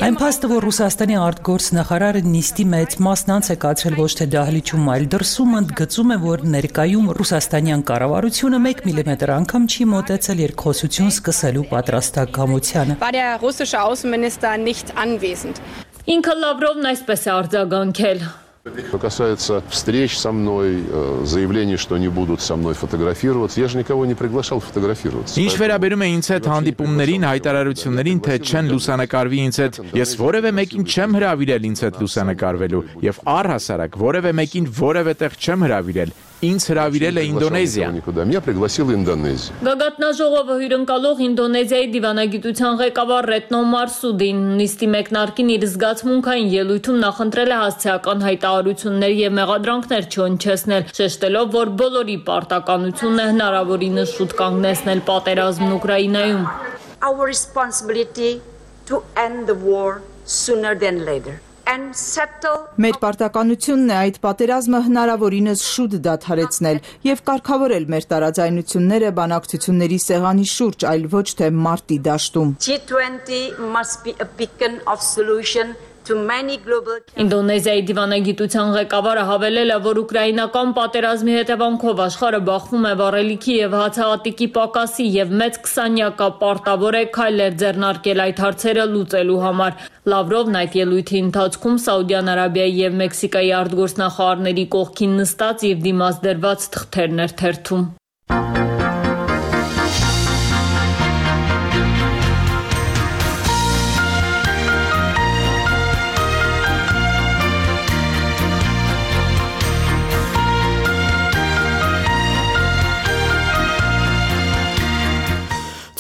Speaker 8: Այն փաստը, որ Ռուսաստանի արտգործնախարարը նիստի մեծ մասն անց է կացրել ոչ թե դահլիճում, այլ դրսում, ընդգծում է, որ ներկայում ռուսաստանյան կառավարությունը 1 միլիմետր անգամ չի մոտեցել երկխոսություն սկսելու պատրաստակամությանը։
Speaker 3: Ինքը Լավրովն այսպես է արձագանքել։
Speaker 13: Что касается встреч со мной, заявлений, что не будут со мной фотографироваться, я же никого не приглашал фотографироваться.
Speaker 11: Ինչ վերաբերում է ինձ հետ հանդիպումներին, հայտարարություններին, թե չեն լուսանկարվի ինձ հետ, ես որևէ մեկին չեմ հրավիրել ինձ հետ լուսանկարվելու եւ առհասարակ որևէ մեկին որևէ տեղ չեմ հրավիրել։ Ինձ հրավիրել է Ինդոնեզիան։
Speaker 13: Меня пригласила Индонезия.
Speaker 3: Գագաթնաժողովը հյուրընկալող Ինդոնեզիայի դիվանագիտության ղեկավար Ռետնո Մարսուդին նիստի մեկնարկին իր զգացմունքային ելույթում նախընտրել է հասցեական հայտարարություններ եւ մեղադրանքներ չհնչեցնել, շեշտելով, որ բոլորի պարտականությունն է հնարավորինս շուտ կանգնեցնել պատերազմն Ուկրաինայում։
Speaker 18: Our responsibility to end the war sooner than later.
Speaker 16: Մեր պարտականությունն է այդ պատերազմը հնարավորինս շուտ դադարեցնել եւ կարգավորել մեր տարաձայնությունները բանակցությունների սեղանի շուրջ, այլ ոչ թե մարտի դաշտում։
Speaker 18: G20 must be a beacon of solution to many global
Speaker 3: Ինդոնեզիայի դիվանագիտության ղեկավարը հավելել է, որ ուկրաինական պատերազմի հետևանքով աշխարհը բախվում է վառելիքի եւ հացահատիկի պակասի եւ մեծ 20-յակը պարտավոր է քայլեր ձեռնարկել այդ հարցերը լուծելու համար։ Լավրովն այդ ելույթի ընթացքում Սաուդյան Արաբիայի եւ Մեքսիկայի արտգործնախարարների կողքին նստած եւ դիմաց դրված թղթերներ թերթում։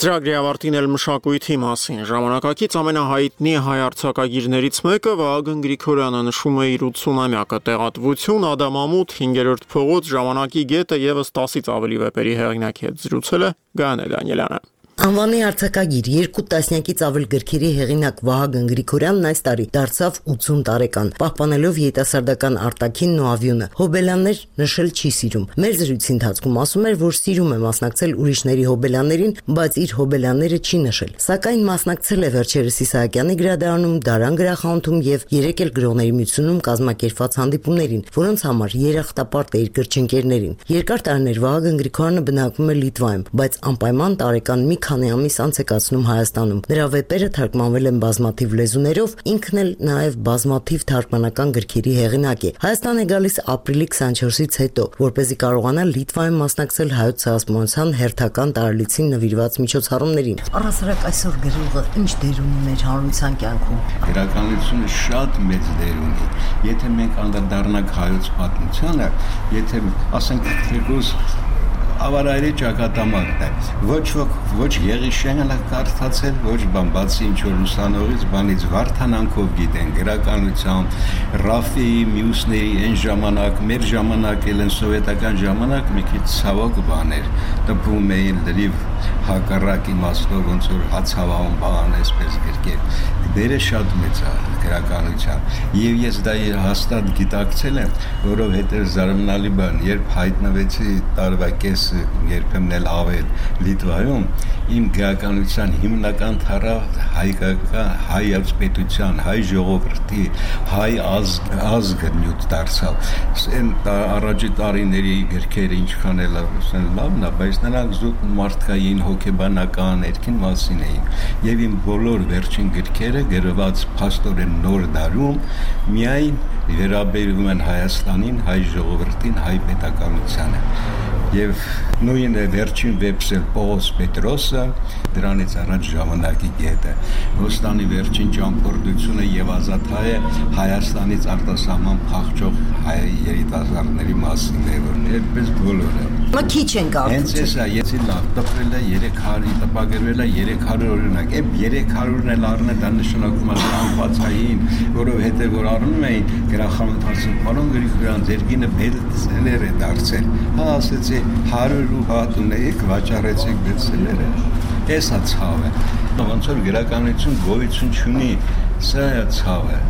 Speaker 1: Ծրագրի ավարտին էլ մշակույթի մասին ժամանակակից ամենահայտնի հայ արձակագիրներից մեկը Վահագն Գրիգորյանը նշում է իր 80-ամյակը տեղատվություն Ադամամուտ 5-րդ փողոց ժամանակի գետը եւս 10-ից ավելի վեպերի հեղինակի հետ զրուցել է Գայանե Դանիելյանը։
Speaker 17: Անվանի արձակագիր 2 տասնյակից ավել գրքերի հեղինակ Վահագն Գրիգորյանն այս տարի դարձավ 80 տարեկան, պահպանելով երիտասարդական արտաքինն ու ավյունը։ Հոբելյաններ նշել չի սիրում։ Մեր զրույցի ընթացքում ասում էր, որ սիրում է մասնակցել ուրիշների հոբելյաններին, բայց իր հոբելյանները չի նշել։ Սակայն մասնակցել է վերջերս Իսահակյանի գրադարանում, Դարան գրախանութում եւ 3 էլ գրողների միությունում կազմակերպված հանդիպումներին, որոնց համար երախտապարտ է իր գրչընկերներին։ Երկար տարիներ Վահագն Գրիգորյանը բնակվում է Լիտվայում, բայց անպայման տարեկան մի քանի ամիս անց է կացնում Հայաստանում։ Նրա վեպերը թարգմանվել են բազմաթիվ լեզուներով, ինքն էլ նաև բազմաթիվ թարգմանական գրքերի հեղինակ է։ Հայաստան է գալիս ապրիլի 24-ից հետո, որպեսզի կարողանա Լիտվայում մասնակցել հայոց ցեղասպանության հերթական տարելիցին նվիրված միջոցառումներին։ Առհասարակ այսօր գրողը ինչ դեր ունի մեր հանրության կյանքում։
Speaker 19: Գրականությունը շատ մեծ դեր ունի։ Եթե մենք անդրադառնանք հայոց պատմությանը, եթե ասենք թեկուզ ավարայրի ճակատամարտն է։ Ոչ Եղիշյանը կարդացել, ոչ բան, բացի ինչ որ ուսանողից, բանից Վարդանանքով գիտեն գրականությամբ, Ռաֆիի, մյուսների այն ժամանակ, մեր ժամանակ էլ են սովետական ժամանակ մի քիչ ցավոք բաներ, տպում էին լրիվ հակառակ իմաստով ոնց որ հացավահում բան այսպես գրքեր։ Դերը շատ մեծ է գրականության։ Եվ ես դա հաստատ գիտակցել եմ, որովհետև զարմանալի բան, երբ հայտնվեցի տարվա կես երբեմն էլ ավել Լիտվայում, իմ գրականության հիմնական թառավ հայ պետության, հայ ժողովրդի, հայ ազգը նյութ դարձավ։ Այն առաջի տարիների գրքերը ինչքան էլ լավն է, բայց նրանք զուտ մարդկային հոգեբանական ներքին մասին էին։ Եվ իմ բոլոր վերջին գրքերը գրված փաստորեն նոր դարում միայն վերաբերում են Հայաստանին, հայ ժողովրդին, հայ պետականությանը։ Եվ նույն վերջին վեպսել Պողոս Պետրոսը, դրանից առաջ ժամանակի գետը, Ոստանի վերջին ճամփորդությունը եւ Ազատհայը Հայաստանից արտասահման փախչող հայ երիտասարդների մասին է, որ այդպես բոլորը։
Speaker 17: Քիչ են գալու։
Speaker 19: Հենց էսա, եթե լավ տպրել է 300, տպագրվել է 300 օրինակ, այդ 300-ն էլ առնե դա նշանակում է անբացային, որովհետեւ որ առնում էին գրախանութացում, պարոն Գրիգորյան, ձեր գինը բեստսելեր է դարձել։ Հա ասեցի 100 հատ ունեիք, վաճառեցիք բեստսելերը։ Էսա ցավ է։ Ոնց որ գրականություն գոյություն չունի, սա է ցավը։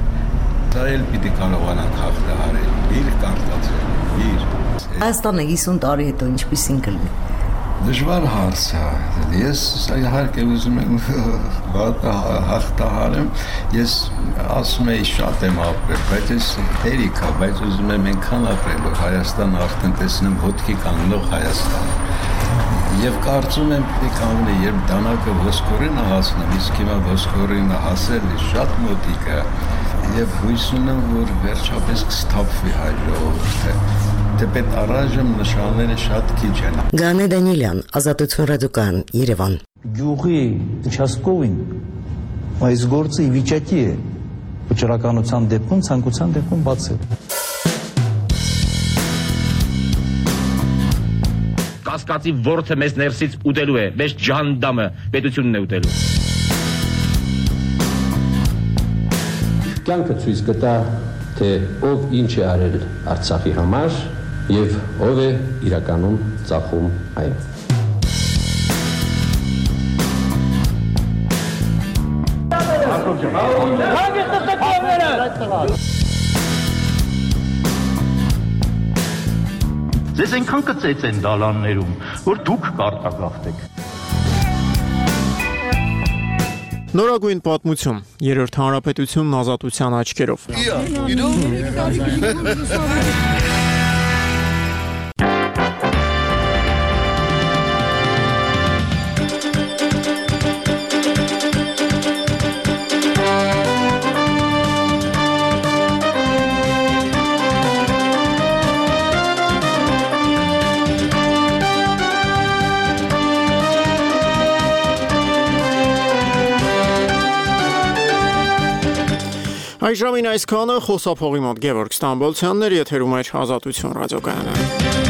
Speaker 19: Դա էլ պիտի կարողանանք հաղթահարել։ Իր կարտացել, իր։
Speaker 17: Հայաստանը 50 տարի հետո ինչպիսին կլինի։
Speaker 19: Դժվար հարց է։ Ես իհարկե ուզում եմ հաղթահարեմ, ես ասում եի շատ եմ ապրել, բայց ես հերիք է, բայց ուզում եմ այնքան ապրել, որ Հայաստանը արդեն տեսնեմ ոտքի կանգնող Հայաստան։ Եվ կարծում եմ պիտի կանգնի, երբ դանակը ոսկորին հասնեմ, իսկ հիմա ոսկորինը հասել է շատ մոտիկ է, եւ հույս ունեմ, որ վերջապես կստափվի հայ ժողովուրդը։ Թեպետ առայժմ նշանները շատ քիչ են։
Speaker 17: Գայանե Դանիելյան, Ազատություն ռադիոկայան, Երևան։
Speaker 20: Գյուղի участковին այս գործը ի վիճակի է վճռականության դեպքում, ցանկության դեպքում բացել։
Speaker 21: Կասկածի ворթը մեզ ներսից ուտելու է, մեզ ջանդամը պետությունն է ուտելու։
Speaker 25: Կյանքը ցույց կտա, թե ով ինչ է արել Արցախի համար եւ ով է իրականում ծախում այն։
Speaker 21: Ձեզ այնքան կծեծեն դալաններում, որ դուք կարտագաղթեք։
Speaker 1: Նորագույն պատմություն. Երրորդ հանրապետությունն ազատության աչքերով։ Այժմին այսքանը խոսափողի մոտ Գևորգ Ստամբոլցյանն էր, եթերում էր Ազատություն ռադիոկայանը։